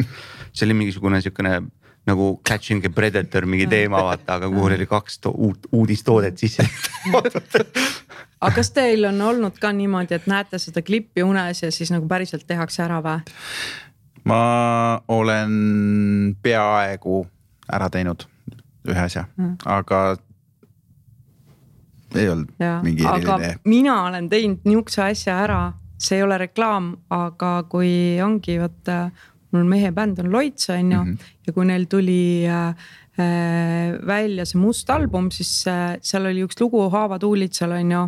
See oli mingisugune siukene nagu Catching a Predator mingi teema vaata, aga kuhu oli 2 uudistoodet sisse. Aga kas teil on olnud ka niimoodi, et näete seda klippi unes ja siis nagu päriselt tehakse ära või? Ma olen peaaegu ära teinud ühe asja, aga ei olnud mingi eriline. Aga mina olen teinud niukse asja ära, see ei ole reklaam, aga kui ongi, mul mehe bänd on Loitsa on ju, ja kui neil tuli välja see Must album, siis seal oli üks lugu Haavad huulitsal on ju.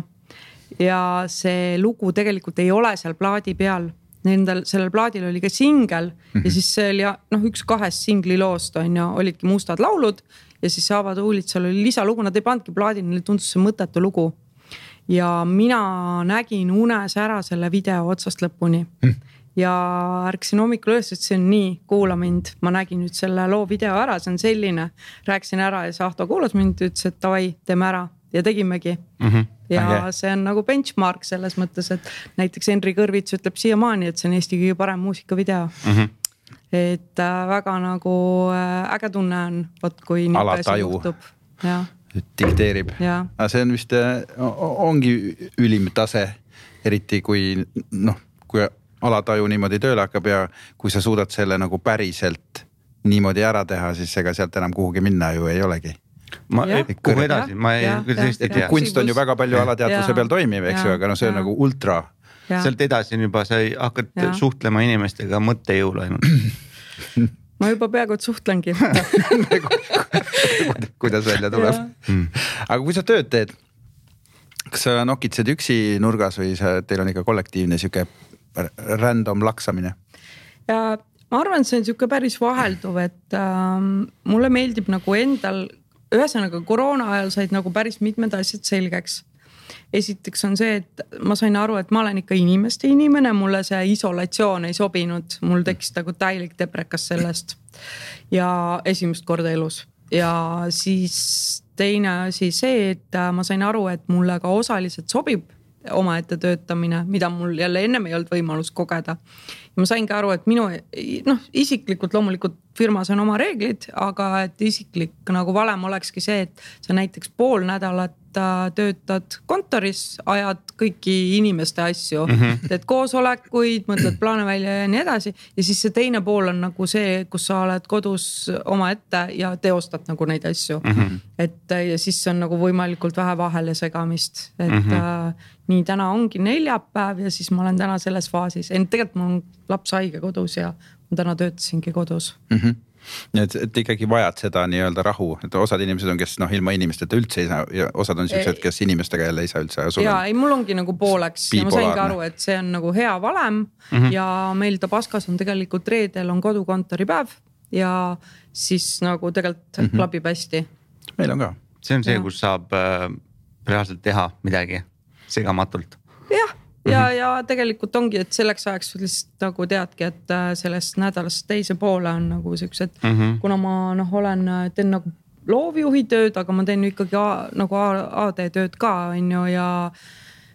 Ja see lugu tegelikult ei ole seal plaadi peal. Sellel plaadil oli ka singel ja siis see oli üks 2 singli loost on ju, olidki Mustad laulud ja siis Haavad huulitsal oli lisalugu, nad ei pandki plaadil, neil tundus see mõttetu lugu. Ja mina nägin unes ära selle video otsast lõpuni. Ja ärksin hommikul üles, et see on nii, kuula mind, ma nägin nüüd selle loo video ära, see on selline, rääksin ära ja Sahto kuulas mind, ütles, et davai, teeme ära ja tegimegi. Ja see on nagu benchmark selles mõttes, et näiteks Henri Kõrvits ütleb siiamaani, et see on Eesti kõige parem muusikavideo. Et väga nagu äge tunne on, kui nii juhtub. Dikteerib. Aga see on vist, ongi ülim tase, eriti kui alataju niimoodi tööle hakkab ja kui sa suudad selle nagu päriselt niimoodi ära teha, siis ega sealt enam kuhugi minna ju ei olegi. Kuhu edasi? Ma ei tõesti tea. Kunst on ju väga palju alateadvuse peal toimiv, eks ju, aga see on nagu ultra. Sealt edasi on juba, sa hakkad suhtlema inimestega mõttejõul ainult. Ma juba peaaegu suhtlengi. Kuidas välja tuleb. Aga kui sa tööd teed, kas sa nokitsed üksi nurgas või teil on ikka kollektiivne siuke random laksamine? Ja ma arvan, et see on siuke päris vahelduv, et mulle meeldib nagu endal, ühesõnaga koroona ajal said nagu päris mitmed asjad selgeks. Esiteks on see, et ma sain aru, et ma olen ikka inimeste inimene, mulle see isolatsioon ei sobinud, mul tekkis nagu täielik deprekas sellest ja esimest korda elus. Ja siis teine asi see, et ma sain aru, et mulle ka osaliselt sobib omaette töötamine, mida mul jälle ennem ei olnud võimalus kogeda. Ja ma saingi aru, et minu isiklikult loomulikult firmas on oma reeglid, aga et isiklik nagu valem olekski see, et sa näiteks pool nädalat töötad kontoris, ajad kõiki inimeste asju, teed koosolekuid, mõtled plaane välja ja nii edasi. Ja siis see teine pool on nagu see, kus sa oled kodus oma ette ja teostad nagu neid asju. Et ja siis on nagu võimalikult vähe vahele segamist, et nii täna ongi neljapäev ja siis ma olen täna selles faasis. Tegelikult mul on laps haige kodus ja ma täna töötasingi kodus. Et ikkagi vajad seda nii-öelda rahu, et osad inimesed on, kes ilma inimesteta üldse ei saa ja osad on sellised, kes inimestega jälle ei saa üldse. Ja ei, mul ongi nagu pooleks ja ma saingi aru, et see on nagu hea valem ja meil Tabaskas on tegelikult reedel on kodukontori päev ja siis nagu tegelikult klapib hästi. Meil on ka. See on see, kus saab reaalselt teha midagi segamatult. Ja tegelikult ongi, et selleks ajaks lihtsalt nagu teadki, et sellest nädalast teise poole on nagu sellised, kuna ma teen nagu loovjuhi tööd, aga ma teen ikkagi nagu AD tööd ka on ju ja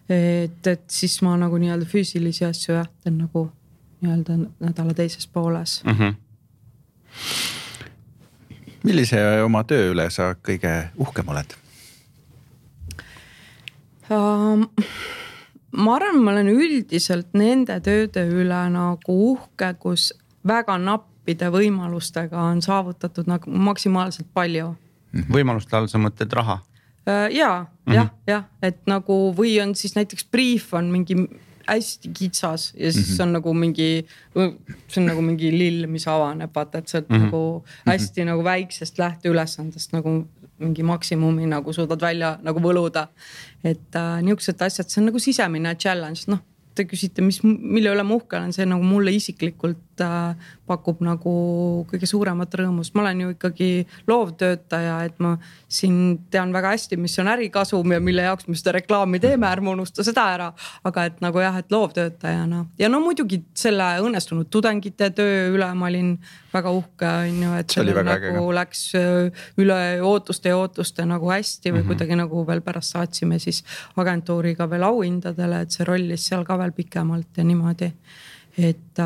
et siis ma nagu nii-öelda füüsilisi asju teen nagu nii-öelda nädala teises pooles. Millise oma töö üle sa kõige uhkem oled? Ma arvan, ma olen üldiselt nende tööde üle nagu uhke, kus väga nappide võimalustega on saavutatud nagu maksimaalselt palju. Võimaluste all sa mõtled raha? Jah, et nagu või on siis näiteks brief on mingi hästi kitsas ja siis on nagu mingi, see on nagu mingi lill, mis avaneb, vaata, et see on nagu hästi nagu väiksest lähteülesandest nagu mingi maksimumi nagu suudad välja nagu võluda. Et niisugused asjad, see on nagu sisemine challenge. Te küsite, mille üle ma uhke olen, see nagu mulle isiklikult pakub nagu kõige suuremat rõõmust. Ma olen ju ikkagi loovtöötaja, et ma siin tean väga hästi, mis on ärikasum ja mille jaoks me seda reklaami teeme, ärme unusta seda ära. Aga et nagu jah, et loovtöötajana. Ja muidugi selle õnnestunud tudengite töö üle ma olin väga uhke, et see nagu läks üle ootuste nagu hästi või kuidagi nagu veel pärast saatsime siis agentuuriga veel auhindadele, et see rollis seal ka veel pikemalt ja niimoodi. Et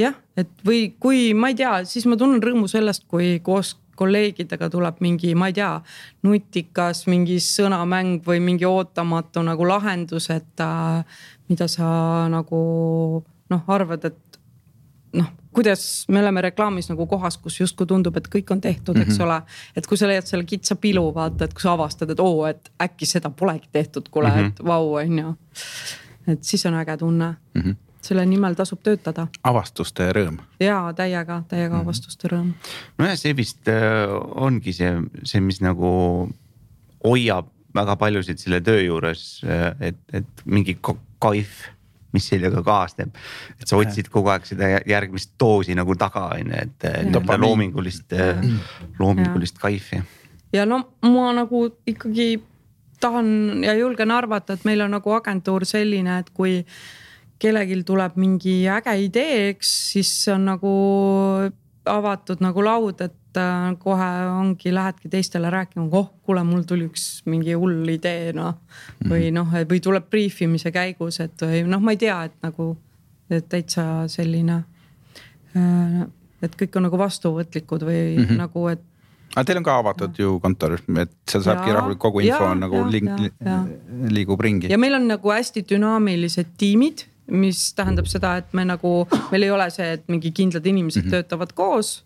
jah, et või kui ma ei tea, siis ma tunnen rõõmu sellest, kui koos kolleegidega tuleb mingi, ma ei tea, nutikas, mingi sõnamäng või mingi ootamatu nagu lahendus, et mida sa nagu arvad, et kuidas me oleme reklaamis nagu kohas, kus justkui tundub, et kõik on tehtud, eks ole. Et kui sa leiad selle kitsa pilu, vaata, et kui sa avastad, et et äkki seda polegi tehtud, kuule, et vau, on ju. Et siis on äge tunne. Selle nimel tasub töötada. Avastuste rõõm. Jaa, täiega avastuste rõõm. Ja see vist ongi see, mis nagu hoiab väga paljusid selle töö juures, et mingi kaif, mis sellega kaasneb. Et sa otsid kogu aeg seda järgmist doosi nagu taga, et loomingulist kaifi. Ja ma nagu ikkagi tahan ja julgen arvata, et meil on nagu agentuur selline, et kui kellegil tuleb mingi äge ideeks, siis on nagu avatud nagu laud, et kohe ongi, lähedki teistele rääkima, kuule, mul tuli üks mingi hull idee, või tuleb briefimise käigus, et ma ei tea, et nagu et täitsa selline, et kõik on nagu vastuvõtlikud või nagu, et aga teil on ka avatud ju kontor, et seal saabki rahulik kogu info nagu liigub ringi. Ja meil on nagu hästi dünaamilised tiimid, mis tähendab seda, et meil ei ole see, et mingi kindlad inimesed töötavad koos,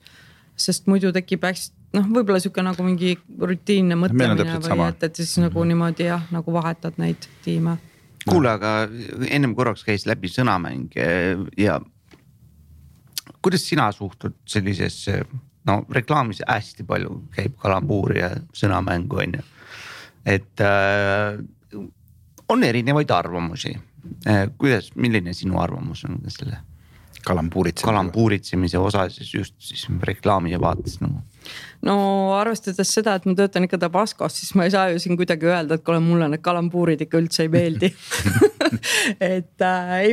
sest muidu tekib hästi, võib-olla siuke nagu mingi rutiinne mõtlemine või et siis nagu niimoodi nagu vahetad neid tiime. Kuule, aga ennem korraks käis läbi sõnamäng ja kuidas sina suhtud sellisesse, reklaamis hästi palju käib kalambuuri ja sõnamängu, on ju. Et on erinevaid arvamusi. Milline sinu arvamus on selle kalambuuritsemise osas just siis reklaamide vaates? Arvestades seda, et ma töötan ikka Tabaskos, siis ma ei saa ju siin kuidagi öelda, et mulle need kalambuurid ikka üldse ei meeldi. Et ei,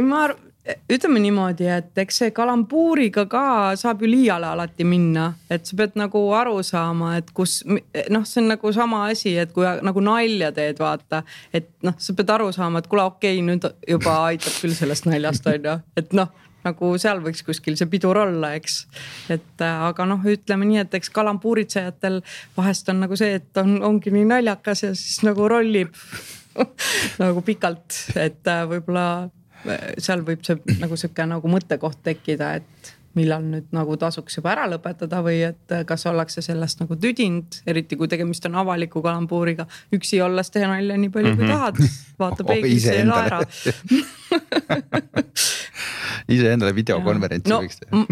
ütleme niimoodi, et eks see kalambuuriga ka saab ju liiale alati minna, et sa pead nagu aru saama, et kus noh, see on nagu sama asi, et kui nagu nalja teed, vaata, et noh, sa pead aru saama, et kuule okei, nüüd juba aitab küll sellest naljast on ju, et noh, nagu seal võiks kuskil see pidur olla, eks. Et aga noh, ütleme nii, et eks kalambuuritsejatel vahest on nagu see, et ongi nii naljakas ja siis nagu rollib nagu pikalt, et võib-olla seal võib see nagu siuke nagu mõttekoht tekkida, et millal nüüd nagu tasuks juba ära lõpetada või et kas ollakse sellest nagu tüdinud, eriti kui tegemist on avaliku kalambuuriga, üksi olles teha nalja nii palju kui tahad, vaata peeglisse ja naera. Ise endale videokonverentsi võiks teha.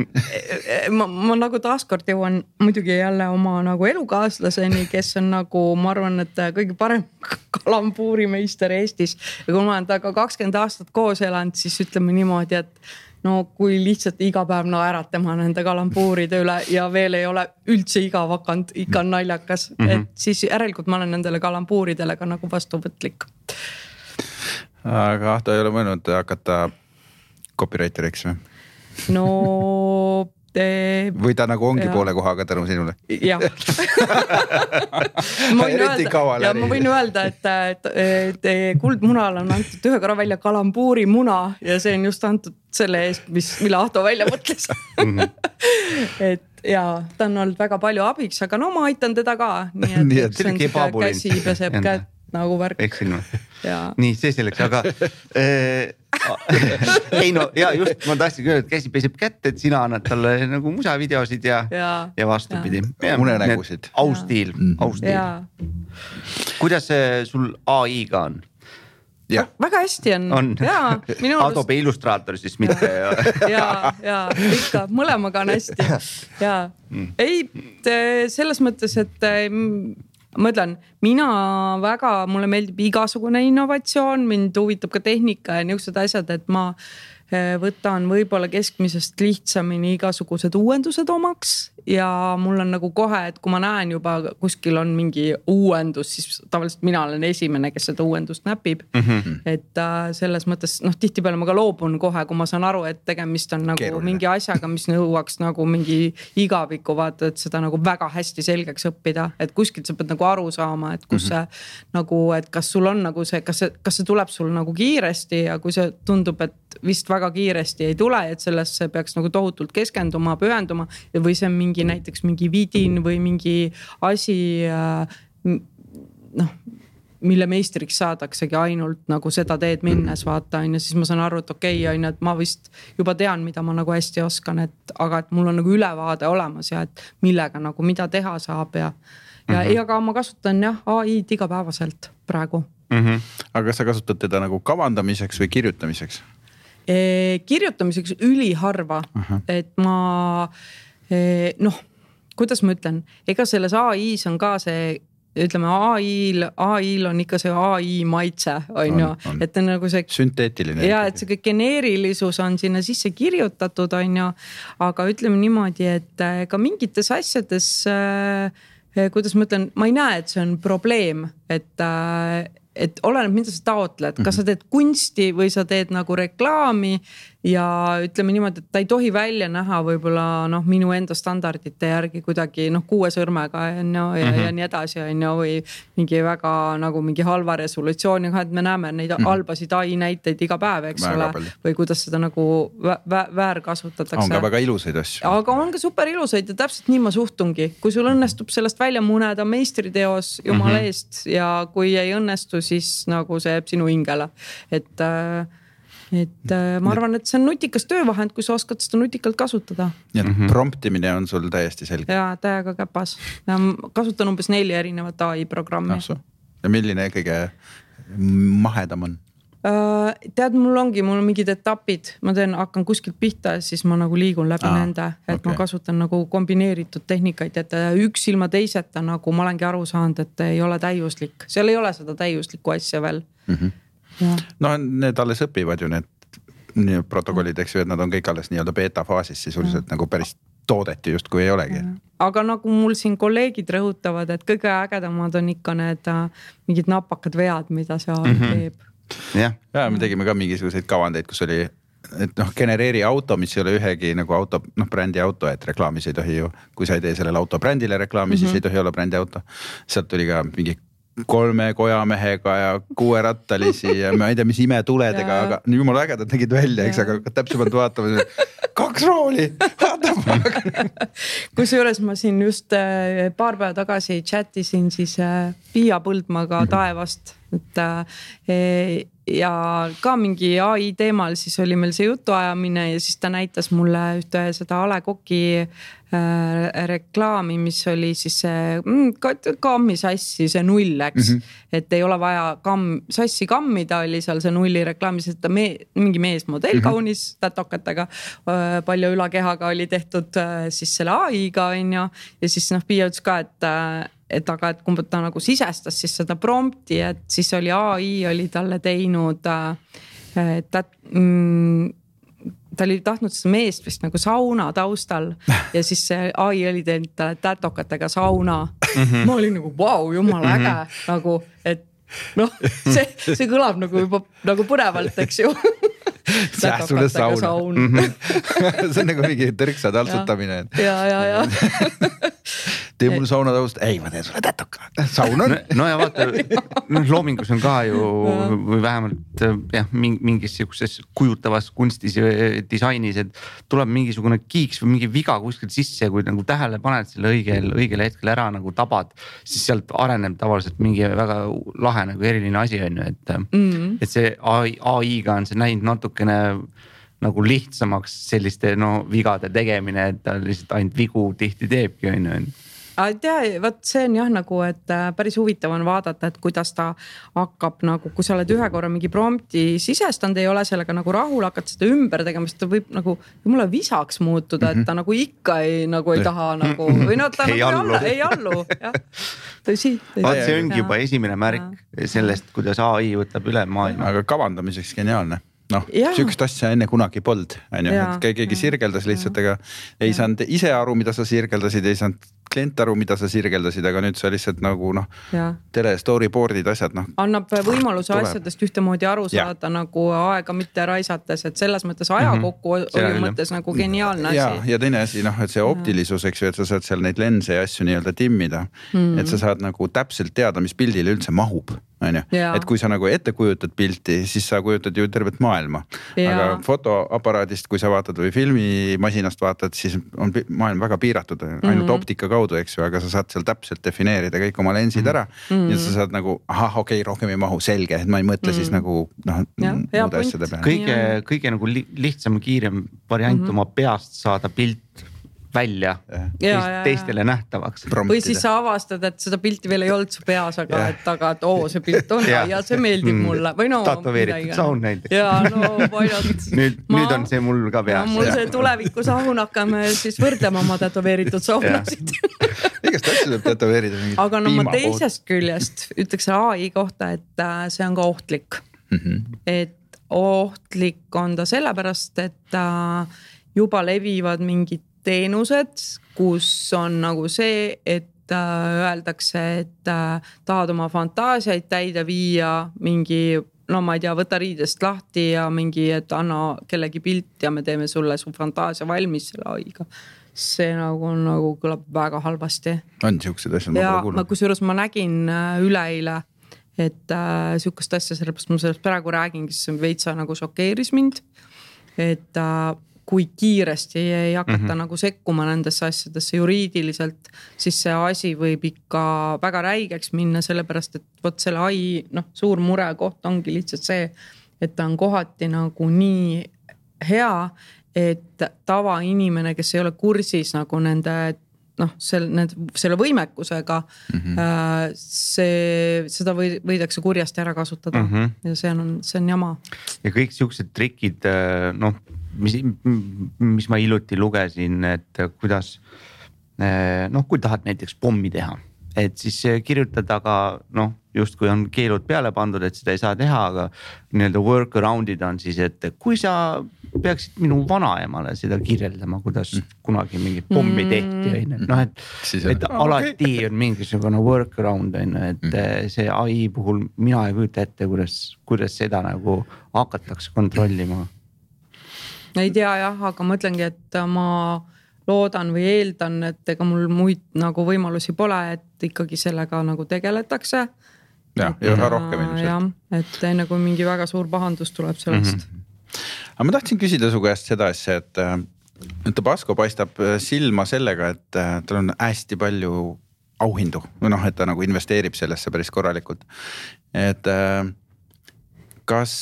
Ma nagu taaskord jõuan muidugi jälle oma nagu elukaaslaseni, kes on nagu, ma arvan, et kõige parem kalambuurimeister Eestis. Ja kui ma olen taga 20 aastat koos elanud, siis ütleme niimoodi, et no kui lihtsalt iga päev naerad tema nende kalambuuride üle ja veel ei ole üldse igav hakanud, ikka on naljakas, et siis järelikult ma olen nendele kalambuuridele ka nagu vastuvõtlik. Aga Ahto ei ole mõelnud hakata copywriteriks või? No või ta nagu ongi poole kohaga tänu sinule? Jah. Ma võin öelda, et Kuldmunal on antud ühe korra välja kalambuurimuna ja see on just antud selle eest, mille Ahto välja mõtles. Et ja ta on olnud väga palju abiks, aga no ma aitan teda ka. Nii et see on käsi peseb käed nagu värk. Eksin ma. Nii, see selleks, aga ei no ja just ma tahtsin öelda, et käsi peseb kätt, et sina annad talle nagu musavideosid ja vastupidi. Unenägusid. Austiil. Kuidas sul AI-ga on? Ja. Väga hästi on. Adobe Illustrator siis mitte. ja ikka, mõlemaga on hästi. Ja. Ei, selles mõttes, et ma ütlen, mulle meeldib igasugune innovatsioon, mind huvitab ka tehnika ja niisugused asjad, et ma võtan võib-olla keskmisest lihtsamini igasugused uuendused omaks ja mul on nagu kohe, et kui ma näen juba kuskil on mingi uuendus, siis tavaliselt mina olen esimene, kes seda uuendust näpib. Et selles mõttes, noh, tihtipeale ma ka loobun kohe, kui ma saan aru, et tegemist on nagu keeruline. Mingi asjaga, mis nõuaks nagu mingi igaviku, vaata, et seda nagu väga hästi selgeks õppida, et kuskilt sa pead nagu aru saama, et kus see nagu, et kas sul on nagu see, kas see tuleb sul nagu kiiresti ja kui see tundub, et vist väga kiiresti ei tule, et sellesse peaks nagu tohutult keskenduma, pühenduma või see on mingi näiteks mingi vidin või mingi asi, noh, mille meistriks saadaksegi ainult nagu seda teed minnes, vaata, ja siis ma saan aru, et okei, et ma vist juba tean, mida ma nagu hästi oskan, aga et mul on nagu ülevaade olemas ja et millega nagu mida teha saab ja aga ma kasutan AI-d igapäevaselt praegu. Aga kas sa kasutad teda nagu kavandamiseks või kirjutamiseks? Kirjutamiseks üliharva, et ma, noh, kuidas ma ütlen, ega selles AI-s on ka see, ütleme AI-l on ikka see AI maitse, on ju, et on nagu see sünteetiline. Ja, et see geneerilisus on sinna sisse kirjutatud, on ju, aga ütleme niimoodi, et ka mingites asjades, kuidas ma ütlen, ma ei näe, et see on probleem, et oleneb, mida sa taotled, kas sa teed kunsti või sa teed nagu reklaami ja ütleme niimoodi, et ta ei tohi välja näha võib-olla noh, minu enda standardite järgi kuidagi noh, 6 sõrmega ja nii edasi on ju, või mingi väga nagu mingi halva resolutsiooniga, et me näeme neid halbasid AI näiteid iga päev, eks ole, või kuidas seda nagu väärkasutatakse. On ka väga ilusaid asju. Aga on ka super ilusaid ja täpselt nii ma suhtungi, kui sul õnnestub sellest välja muneda meistriteos jumala eest ja kui ei õnnestu, siis nagu see jääb sinu hingele, et ma arvan, et see on nutikas töövahend, kui sa oskad seda nutikalt kasutada. Ja promptimine on sul täiesti selge. Ja täiega käpas. Ja kasutan umbes 4 erinevat AI programmi. Ja milline kõige mahedam on? Tead, mul on mingid etapid, ma hakkan kuskilt pihta ja siis ma nagu liigun läbi nende, et ma kasutan nagu kombineeritud tehnikaid, et üks ilma teiseta nagu ma olengi aru saanud, et ei ole täiuslik, seal ei ole seda täiuslikku asja veel. No need alles õpivad ju need protokollid, eks ju, et nad on kõik alles nii-öelda beta faasis sisuliselt nagu päris toodeti just kui ei olegi. Aga nagu mul siin kolleegid rõhutavad, et kõige ägedamad on ikka need mingid napakad vead, mida see teeb. Ja me tegime ka mingisuguseid kavandeid, kus oli et noh, genereeri auto, mis ei ole ühegi nagu auto, noh brändi auto, et reklaamis ei tohi ju, kui sa ei tee sellele auto brändile reklaami, siis ei tohi olla brändi auto. Sealt tuli ka mingi 3 kojamehega ja 6 rattalisi ja ma ei tea, mis imetuledega, aga jumala ägedad nägid välja, eks, aga täpsemalt vaatama, 2 rooli, Kusjuures ma siin just paar päeva tagasi chattisin siis Piia Põldmaga Taevast, et ja ka mingi AI teemal siis oli meil see jutuajamine ja siis ta näitas mulle ühte seda A. Le Coq'i reklaami, mis oli siis see kammi sassi, see 0, eks. Et ei ole vaja sassi kammida, oli seal see 0 reklaamis, et mingi meesmodell kaunis tätokatega, palju ülakehaga oli tehtud siis selle AI-ga, on ju. Ja siis Piia ütles ka, et kumb ta nagu sisestas siis seda prompti, et siis oli AI oli talle teinud, ta oli tahtnud seda meest vist nagu sauna taustal ja siis see AI oli teinud talle tätokatega sauna. Ma olin nagu, vau, jumala äge, nagu, et noh, see kõlab nagu juba nagu põnevalt, eks ju. Sulle sauna. See on nagu mingi tõrksa taltsutamine. Ja. Tee mul sauna taust, ei ma teen sulle tätoka, saun on. No ja vaata, loomingus on ka ju või vähemalt mingis siukses kujutavas kunstis ja disainis, et tuleb mingisugune kiiks või mingi viga kuskil sisse, kui nagu tähele paned selle õigel hetkel ära nagu tabad, siis sealt areneb tavaliselt mingi väga lahe nagu eriline asi on ju, et see AI-ga on see näinud natukene nagu lihtsamaks selliste vigade tegemine, et ta lihtsalt ainult vigu tihti teebki on ju. Võt see on jah nagu, et päris huvitav on vaadata, et kuidas ta hakkab nagu, kui sa oled ühe korra mingi prompti sisestanud, ei ole sellega nagu rahul, hakkad seda ümber tegema, sest ta võib nagu mulle visaks muutuda, et ta nagu ikka ei taha nagu, või ta nagu ei allu. Tõsi. See ongi juba esimene märk sellest, kuidas AI võtab üle maailma. Aga kavandamiseks geniaalne. Sükst asja enne kunagi polnud, keegi sirgeldas lihtsalt, aga ei saanud ise aru, mida sa sirgeldasid, ei saanud klient aru, mida sa sirgeldasid, aga nüüd sa lihtsalt nagu tele storyboard'id asjad. Annab võimaluse asjadest ühtemoodi aru saada nagu aega mitte raisates, et selles mõttes aja kokku oli mõttes nagu geniaalne asi. Ja teine asi, et see optilisus, eks ju, et sa saad seal neid lense ja asju nii-öelda timmida, et sa saad nagu täpselt teada, mis pildile üldse mahub. Et kui sa nagu ette kujutad pilti, siis sa kujutad ju tervet maailma. Aga fotoaparaadist, kui sa vaatad või filmimasinast vaatad, siis on maailm väga piiratud, ainult optika kaudu, eks ju, aga sa saad seal täpselt defineerida kõik oma lensid ära ja sa saad nagu, rohkem ei mahu, selge, et ma ei mõtle siis nagu muude asjade peale. Kõige nagu lihtsam, kiirem variant oma peast saada pilt välja teistele nähtavaks. Või siis sa avastad, et seda pilti veel ei olnud su peas, aga et see pilt on ja see meeldib mulle. Tatoveeritud saun näiteks. Nüüd on see mul ka peas. Mul see tuleviku saun, hakkame siis võrdlema oma tatoveeritud saunasid. Igast asju tuleb tatoveerida. Aga ma teisest küljest ütleks AI kohta, et see on ka ohtlik. Et ohtlik on ta sellepärast, et juba levivad mingid teenused, kus on nagu see, et öeldakse, et tahad oma fantaasiaid täide viia mingi, ma ei tea, võta riidest lahti ja mingi, et anna kellegi pilt ja me teeme sulle su fantaasia valmis selle aiga. See nagu kõlab väga halvasti. On siuksed asjad, ma pole kuulnud. Kusjuures ma nägin üleeile, et siukest asja, sellepärast ma sellest praegu räägin, kes veitsa nagu šokeeris mind, et kui kiiresti ei hakata nagu sekkuma nendesse asjadesse juriidiliselt, siis see asi võib ikka väga räigeks minna, sellepärast, et selle AI suur mure koht ongi lihtsalt see, et ta on kohati nagu nii hea, et tavainimene, kes ei ole kursis nagu nende selle võimekusega, seda võidakse kurjasti ära kasutada ja see on jama. Ja kõik siuksed trikid, mis ma iluti lugesin, et kuidas, kui tahad näiteks pommi teha, et siis kirjutada ka, just kui on keelud peale pandud, et seda ei saa teha, aga nii-öelda workaround'id on siis, et kui sa peaksid minu vanaemale seda kirjeldama, kuidas kunagi mingi pommi tehti, et alati on mingisugune workaround, et see AI puhul mina ei kujuta ette, kuidas seda nagu hakatakse kontrollima. ei tea jah, aga ma ütlengi, et ma loodan või eeldan, et ega mul muid nagu võimalusi pole, et ikkagi sellega nagu tegeletakse. Ja üha rohkem ilmselt. Et enne kui mingi väga suur pahandus tuleb sellest. Aga ma tahtsin küsida su käest seda asja, et Tabasco paistab silma sellega, et tal on hästi palju auhindu. Või et ta nagu investeerib sellesse päris korralikult. Et kas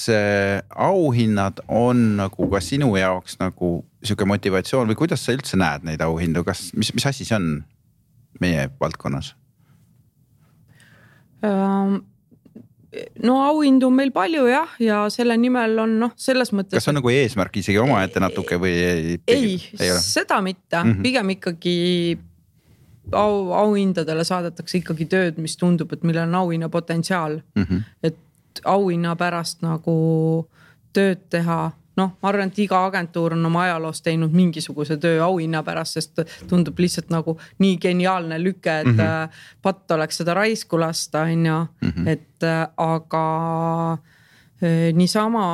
auhinnad on nagu ka sinu jaoks nagu siuke motivatsioon või kuidas sa üldse näed neid auhindu? Mis asi see on meie valdkonnas? No auhindu on meil palju jah, ja selle nimel on selles mõttes. Kas on nagu eesmärk isegi oma ette natuke või ei seda mitte, pigem ikkagi auhindadele saadetakse ikkagi tööd, mis tundub, et millel on auhinna potentsiaal, et auhinna pärast nagu tööd teha. Ma arvan, et iga agentuur on oma ajaloos teinud mingisuguse töö auhinna pärast, sest tundub lihtsalt nagu nii geniaalne lüke, et patt oleks seda raisku lasta, et aga niisama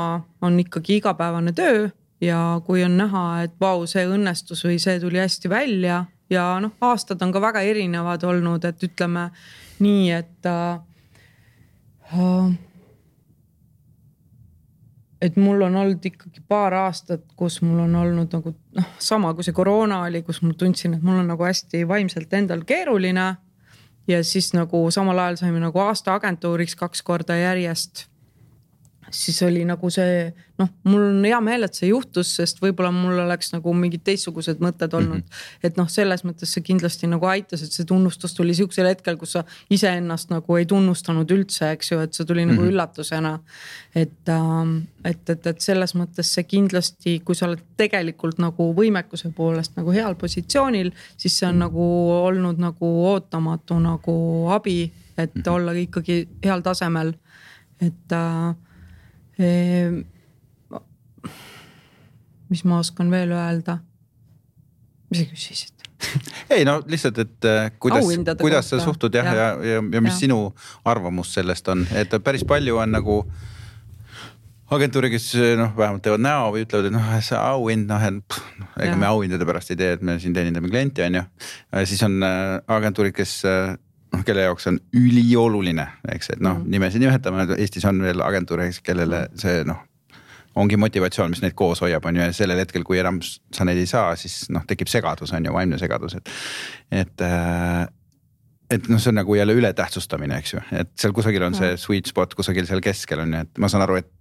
on ikkagi igapäevane töö ja kui on näha, et vau, see õnnestus või see tuli hästi välja ja aastad on ka väga erinevad olnud, et ütleme nii, et mul on olnud ikkagi paar aastat, kus mul on olnud nagu sama kui see koroona oli, kus mul tundsin, et mul on nagu hästi vaimselt endal keeruline ja siis nagu samal ajal saime nagu aasta agentuuriks 2 korda järjest. Siis oli nagu see, mul on hea meel, et see juhtus, sest võib-olla mul oleks nagu mingid teistsugused mõtted olnud. Et selles mõttes see kindlasti nagu aitas, et see tunnustus tuli siuksel hetkel, kus sa iseennast nagu ei tunnustanud üldse, eks ju, et see tuli nagu üllatusena. Et selles mõttes see kindlasti, kui sa oled tegelikult nagu võimekuse poolest nagu heal positsioonil, siis see on nagu olnud nagu ootamatu nagu abi, et olla ikkagi heal tasemel, et mis ma oskan veel öelda? Mis sa küsisid? Ei lihtsalt, et kuidas sa suhtud ja mis sinu arvamus sellest on, et päris palju on nagu agentuuri, kes vähemalt teevad näo või ütlevad, et see auhind, ega me auhindade pärast ei tee, et me siin teenindame klienti on ju. Siis on agentuurid, kes kelle jaoks on ülioluline, eks, et nimesi nimetame, Eestis on veel agentuure, kellele see ongi motivatsioon, mis neid koos hoiab on ju, ja sellel hetkel, kui enam sa neid ei saa, siis tekib segadus on ju, vaimne segadus, et see on nagu jälle ületähtsustamine, eks ju, et seal kusagil on see sweet spot, kusagil seal keskel on ju, et ma saan aru, et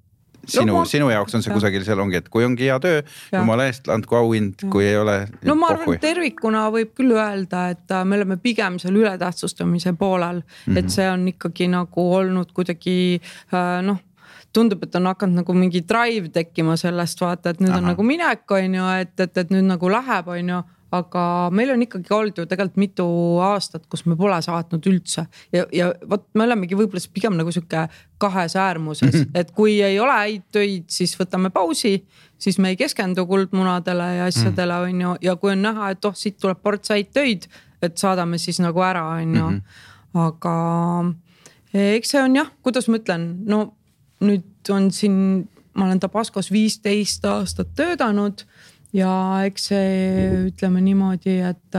sinu jaoks on see kusagil seal ongi, et kui ongi hea töö, jumala eest, andku auhind, kui ei ole. Ma arvan, tervikuna võib küll öelda, et me oleme pigem seal ületähtsustamise poolel, et see on ikkagi nagu olnud kuidagi, tundub, et on hakanud nagu mingi drive tekkima sellest, vaata, et nüüd on nagu minek, on ju, et nüüd nagu läheb, on ju. Aga meil on ikkagi olnud ju tegelikult mitu aastat, kus me pole saatnud üldse ja võt, me olemegi võib-olla pigem nagu siuke kahes äärmuses, et kui ei ole häid töid, siis võtame pausi, siis me ei keskendu kuldmunadele ja asjadele on ju, ja kui on näha, et siit tuleb ports häid töid, et saadame siis nagu ära on ju, aga eks see on jah, kuidas ma ütlen, nüüd on siin, ma olen Tabascos 15 aastat töötanud ja eks see ütleme niimoodi, et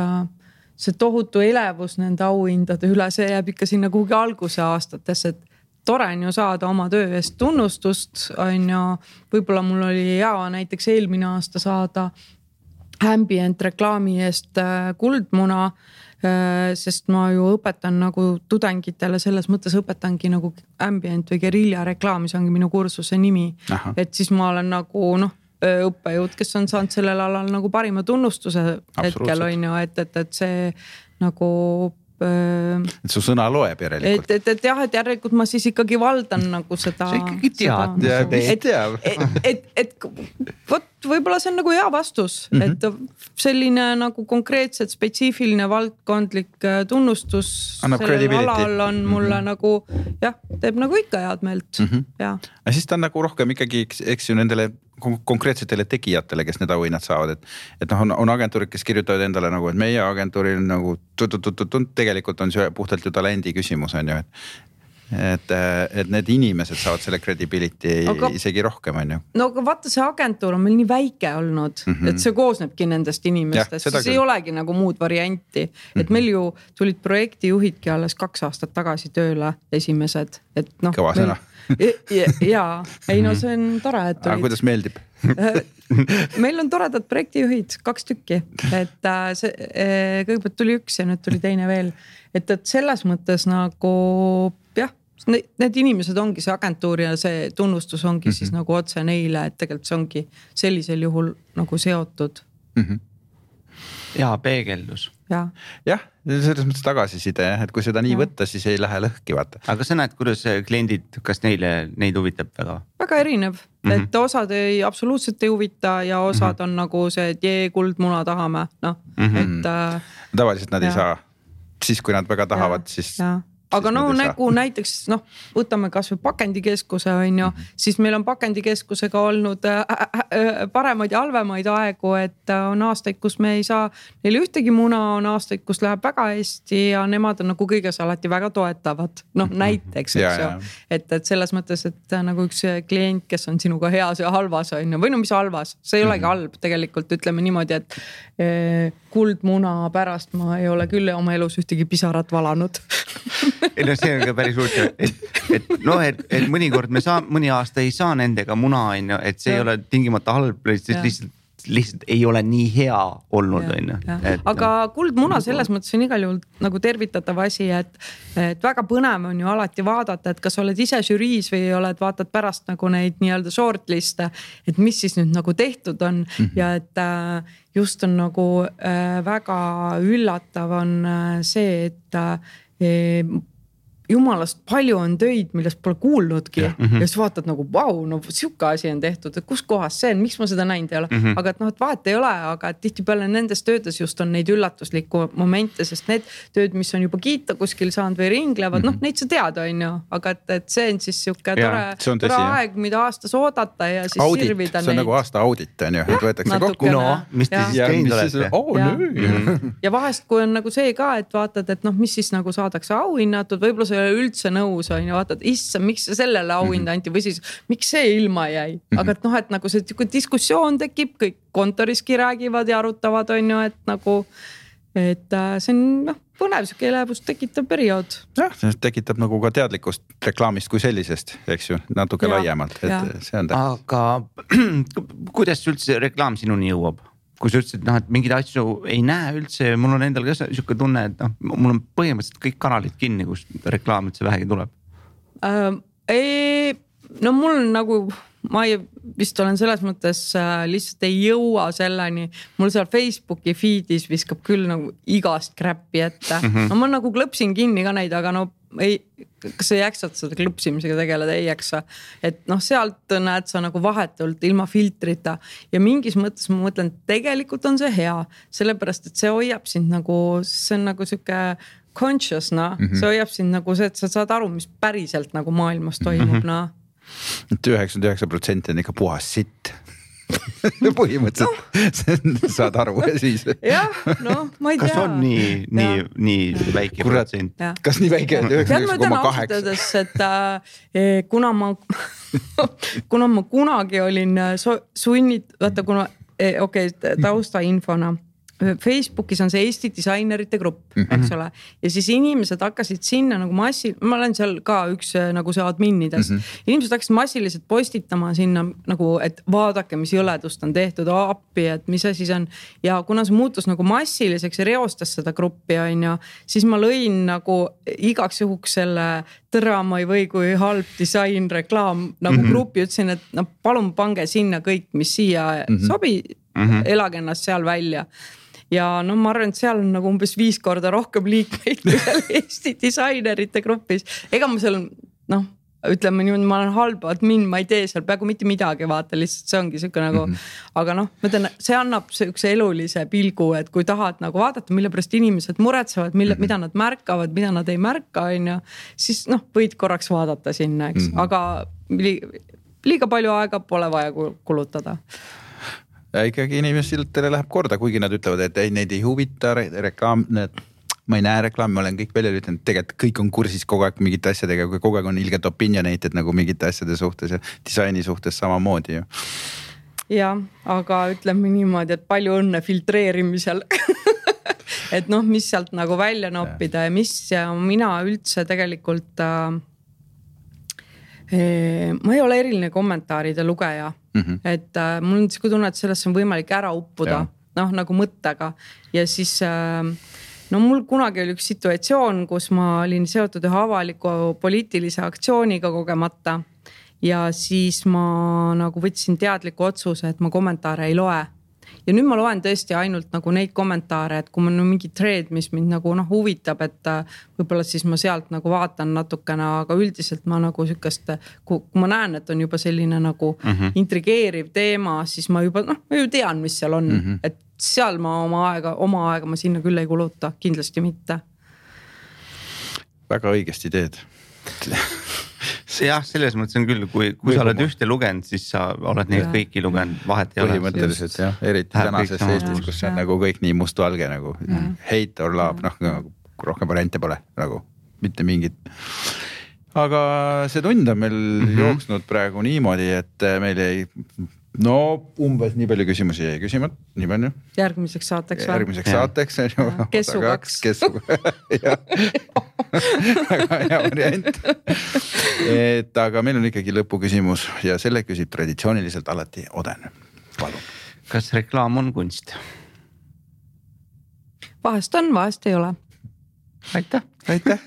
see tohutu elevus nende auhindade üle, see jääb ikka sinna kuhugi alguse aastates, et tore on ju saada oma töö eest tunnustust, on ju, võib-olla mul oli hea näiteks eelmine aasta saada ambient reklaami eest kuldmuna, sest ma ju õpetan nagu tudengitele, selles mõttes õpetangi nagu ambient või guerilla reklaami, see ongi minu kursuse nimi, et siis ma olen nagu õppejõud, kes on saanud sellel alal nagu parima tunnustuse hetkel on ju, et see nagu et su sõna loeb järelikult. Et jah, et järelikult ma siis ikkagi valdan nagu seda. See ikkagi teab. Et võib-olla see on nagu hea vastus, et selline nagu konkreetselt spetsiifiline valdkondlik tunnustus sellel alal on mulle nagu jah, teeb nagu ikka head meelt. Ja siis ta on nagu rohkem ikkagi, eks ju nendele konkreetsetele tegijatele, kes need auhinnad saavad, et on agentuurid, kes kirjutavad endale nagu, et meie agentuuril nagu tegelikult on see puhtalt ju talendi küsimus on ju, et need inimesed saavad selle credibility isegi rohkem, on ju. No aga vaata, see agentuur on meil nii väike olnud, et see koosnebki nendest inimestest, siis ei olegi nagu muud varianti. Et meil ju tulid projektijuhidki alles 2 aastat tagasi tööle esimesed. Et noh, kõva sõna. Jaa, ei no see on tore, et tulid. Aga kuidas meeldib? Meil on toredad projektijuhid, 2 tükki, et kõigepealt tuli 1 ja nüüd tuli teine veel. Et selles mõttes nagu jah, need inimesed ongi see agentuur ja see tunnustus ongi siis nagu otse neile, et tegelikult see ongi sellisel juhul nagu seotud. Ja peegeldus. Jah, selles mõttes tagasiside, et kui seda nii võtta, siis ei lähe lõhki, vaata. Aga sa näed, kuidas kliendid, kas neid huvitab väga? Väga erinev, et osad absoluutselt ei huvita ja osad on nagu see, et kuldmuna tahame, noh, et tavaliselt nad ei saa. Siis kui nad väga tahavad, siis... Aga no nagu näiteks, noh, võtame kas või pakendikeskuse, on ju, siis meil on pakendikeskusega olnud paremaid ja halvemaid aegu, et on aastaid, kus me ei saa neile ühtegi muna, on aastaid, kus läheb väga hästi ja nemad on nagu kõiges alati väga toetavad. Noh, näiteks, eks ju. Et selles mõttes, et nagu üks klient, kes on sinuga heas ja halvas, on ju, või no mis halvas, see ei olegi halb tegelikult, ütleme niimoodi, et kuldmuna pärast ma ei ole küll oma elus ühtegi pisarat valanud. Ei no see on ka päris huvitav, et mõnikord mõni aasta ei saa nendega muna, et see ei ole tingimata halb, lihtsalt ei ole nii hea olnud. Aga kuldmuna selles mõttes on igal juhul nagu tervitatav asi, et väga põnev on ju alati vaadata, et kas oled ise žüriis või oled vaatad pärast nagu neid nii-öelda shortliste, et mis siis nüüd nagu tehtud on ja et just on nagu väga üllatav on see, et jumalast palju on töid, millest pole kuulnudki ja siis vaatad nagu vau, no siuke asi on tehtud, et kus kohas see on, miks ma seda näinud ei ole, aga et noh, et vahet ei ole, aga tihtipeale nendes töödes just on neid üllatuslikku momente, sest need tööd, mis on juba kiita kuskil saanud või ringlevad, noh, neid sa tead, on ju, aga et see on siis siuke tore aeg, mida aastas oodata ja siis audit, sirvida neid. See on nagu aasta audit, on ju, et võetakse kokku. No, mis te siis teinud olete? Ja vahest, kui on nagu see ka, et vaatad, et noh, mis siis nagu saadakse auhinnatud, võib-olla ei ole üldse nõus, on ju, vaatad, issa, miks sellele auhinda anti või siis miks see ilma jäi, aga et noh, et nagu see diskussioon tekib, kõik kontoriski räägivad ja arutavad, on ju, et nagu, et see on noh, põnev siuke elevust tekitav periood. Jah, see tekitab nagu ka teadlikkust reklaamist kui sellisest, eks ju, natuke laiemalt, et see on tähtis. Aga kuidas üldse reklaam sinuni jõuab? Kui sa ütlesid, et mingeid asju ei näe üldse, mul on endal ka siuke tunne, et noh, mul on põhimõtteliselt kõik kanalid kinni, kus reklaam üldse vähegi tuleb. No mul nagu, ma vist olen selles mõttes lihtsalt ei jõua selleni, mul seal Facebooki feedis viskab küll nagu igast crap'i ette. No ma nagu klõpsin kinni ka neid, aga no kas sa jaksad seda klõpsimisega tegeleda, ei jaksa. Et noh, sealt näed sa nagu vahetult ilma filtrita ja mingis mõttes ma mõtlen, tegelikult on see hea, sellepärast, et see hoiab sind nagu, see on nagu siuke conscious, see hoiab sind nagu see, et sa saad aru, mis päriselt nagu maailmas toimub, 99% on ikka puhas sitt. Põhimõtteliselt saad aru ja siis. Jah, no ma ei tea. Kas on nii väike protsent? Kas nii väike? 99,8? Et kuna ma kunagi olin sunnit, vaata kuna, taustainfona. Facebookis on see Eesti disainerite grupp, eks ole. Ja siis inimesed hakkasid sinna nagu ma olen seal ka üks nagu see adminides. Inimesed hakkasid massiliselt postitama sinna nagu, et vaadake, mis jõledust on tehtud appi, et mis asi see on. Ja kuna see muutus nagu massiliseks ja reostas seda gruppi, on ju, siis ma lõin nagu igaks juhuks selle tõrama ei või kui halb disain reklaam nagu gruppi, ütlesin, et no, palun pange sinna kõik, mis siia sobi, elage ennast seal välja. Ja no ma arvan, et seal on nagu umbes 5 korda rohkem liikmeid kui seal Eesti disainerite grupis. Ega ma seal, noh, ütleme niimoodi, ma olen halb admin, ma ei tee seal peaaegu mitte midagi, vaata, lihtsalt see ongi siuke nagu, aga noh, ma ütlen, see annab üks elulise pilgu, et kui tahad nagu vaadata, mille pärast inimesed muretsevad, mida nad märkavad, mida nad ei märka, on ju, siis noh, võid korraks vaadata sinna, eks, aga liiga palju aega pole vaja kulutada. Ja ikkagi inimestele läheb korda, kuigi nad ütlevad, et neid ei huvita reklaam, ma ei näe reklaami, ma olen kõik välja lütanud, tegelikult kõik on kursis kogu aeg mingite asjadega, kui kogu aeg on ilgelt opinionated nagu mingite asjade suhtes ja disaini suhtes samamoodi ju. jah, aga ütleme niimoodi, et palju õnne filtreerimisel et noh, mis sealt nagu välja noppida ja mis ja mina üldse tegelikult ma ei ole eriline kommentaaride lugeja, et mul on siuke tunne, et sellesse on võimalik ära uppuda, noh nagu mõttega ja siis no mul kunagi oli üks situatsioon, kus ma olin seotud ühe avaliku poliitilise aktsiooniga kogemata ja siis ma nagu võtsin teadliku otsuse, et ma kommentaare ei loe. Ja nüüd ma loen tõesti ainult nagu neid kommentaare, et kui mul on mingi trend, mis mind nagu huvitab, et võib-olla siis ma sealt nagu vaatan natukene, aga üldiselt ma nagu sükast, kui ma näen, et on juba selline nagu intrigeeriv teema, siis ma juba ma ju tean, mis seal on, et seal ma oma aega ma sinna küll ei kuluta, kindlasti mitte. Väga õigesti teed. jah, selles mõttes on küll, kui sa oled ühte lugenud, siis sa oled neid kõiki lugenud, vahet ei ole. Põhimõtteliselt jah, eriti tänases Eestis, kus on nagu kõik nii mustvalge nagu hate or love, noh rohkem variante pole nagu mitte mingit. Aga see tund on meil jooksnud praegu niimoodi, et meil ei umbes nii palju küsimusi jäi küsimata, nii palju. Järgmiseks saateks või? Järgmiseks saateks. Kessu 2. Väga hea variant. Et aga meil on ikkagi lõpuküsimus ja selle küsib traditsiooniliselt alati Oden. Palun. Kas reklaam on kunst? Vahest on, vahest ei ole. Aitäh. Aitäh.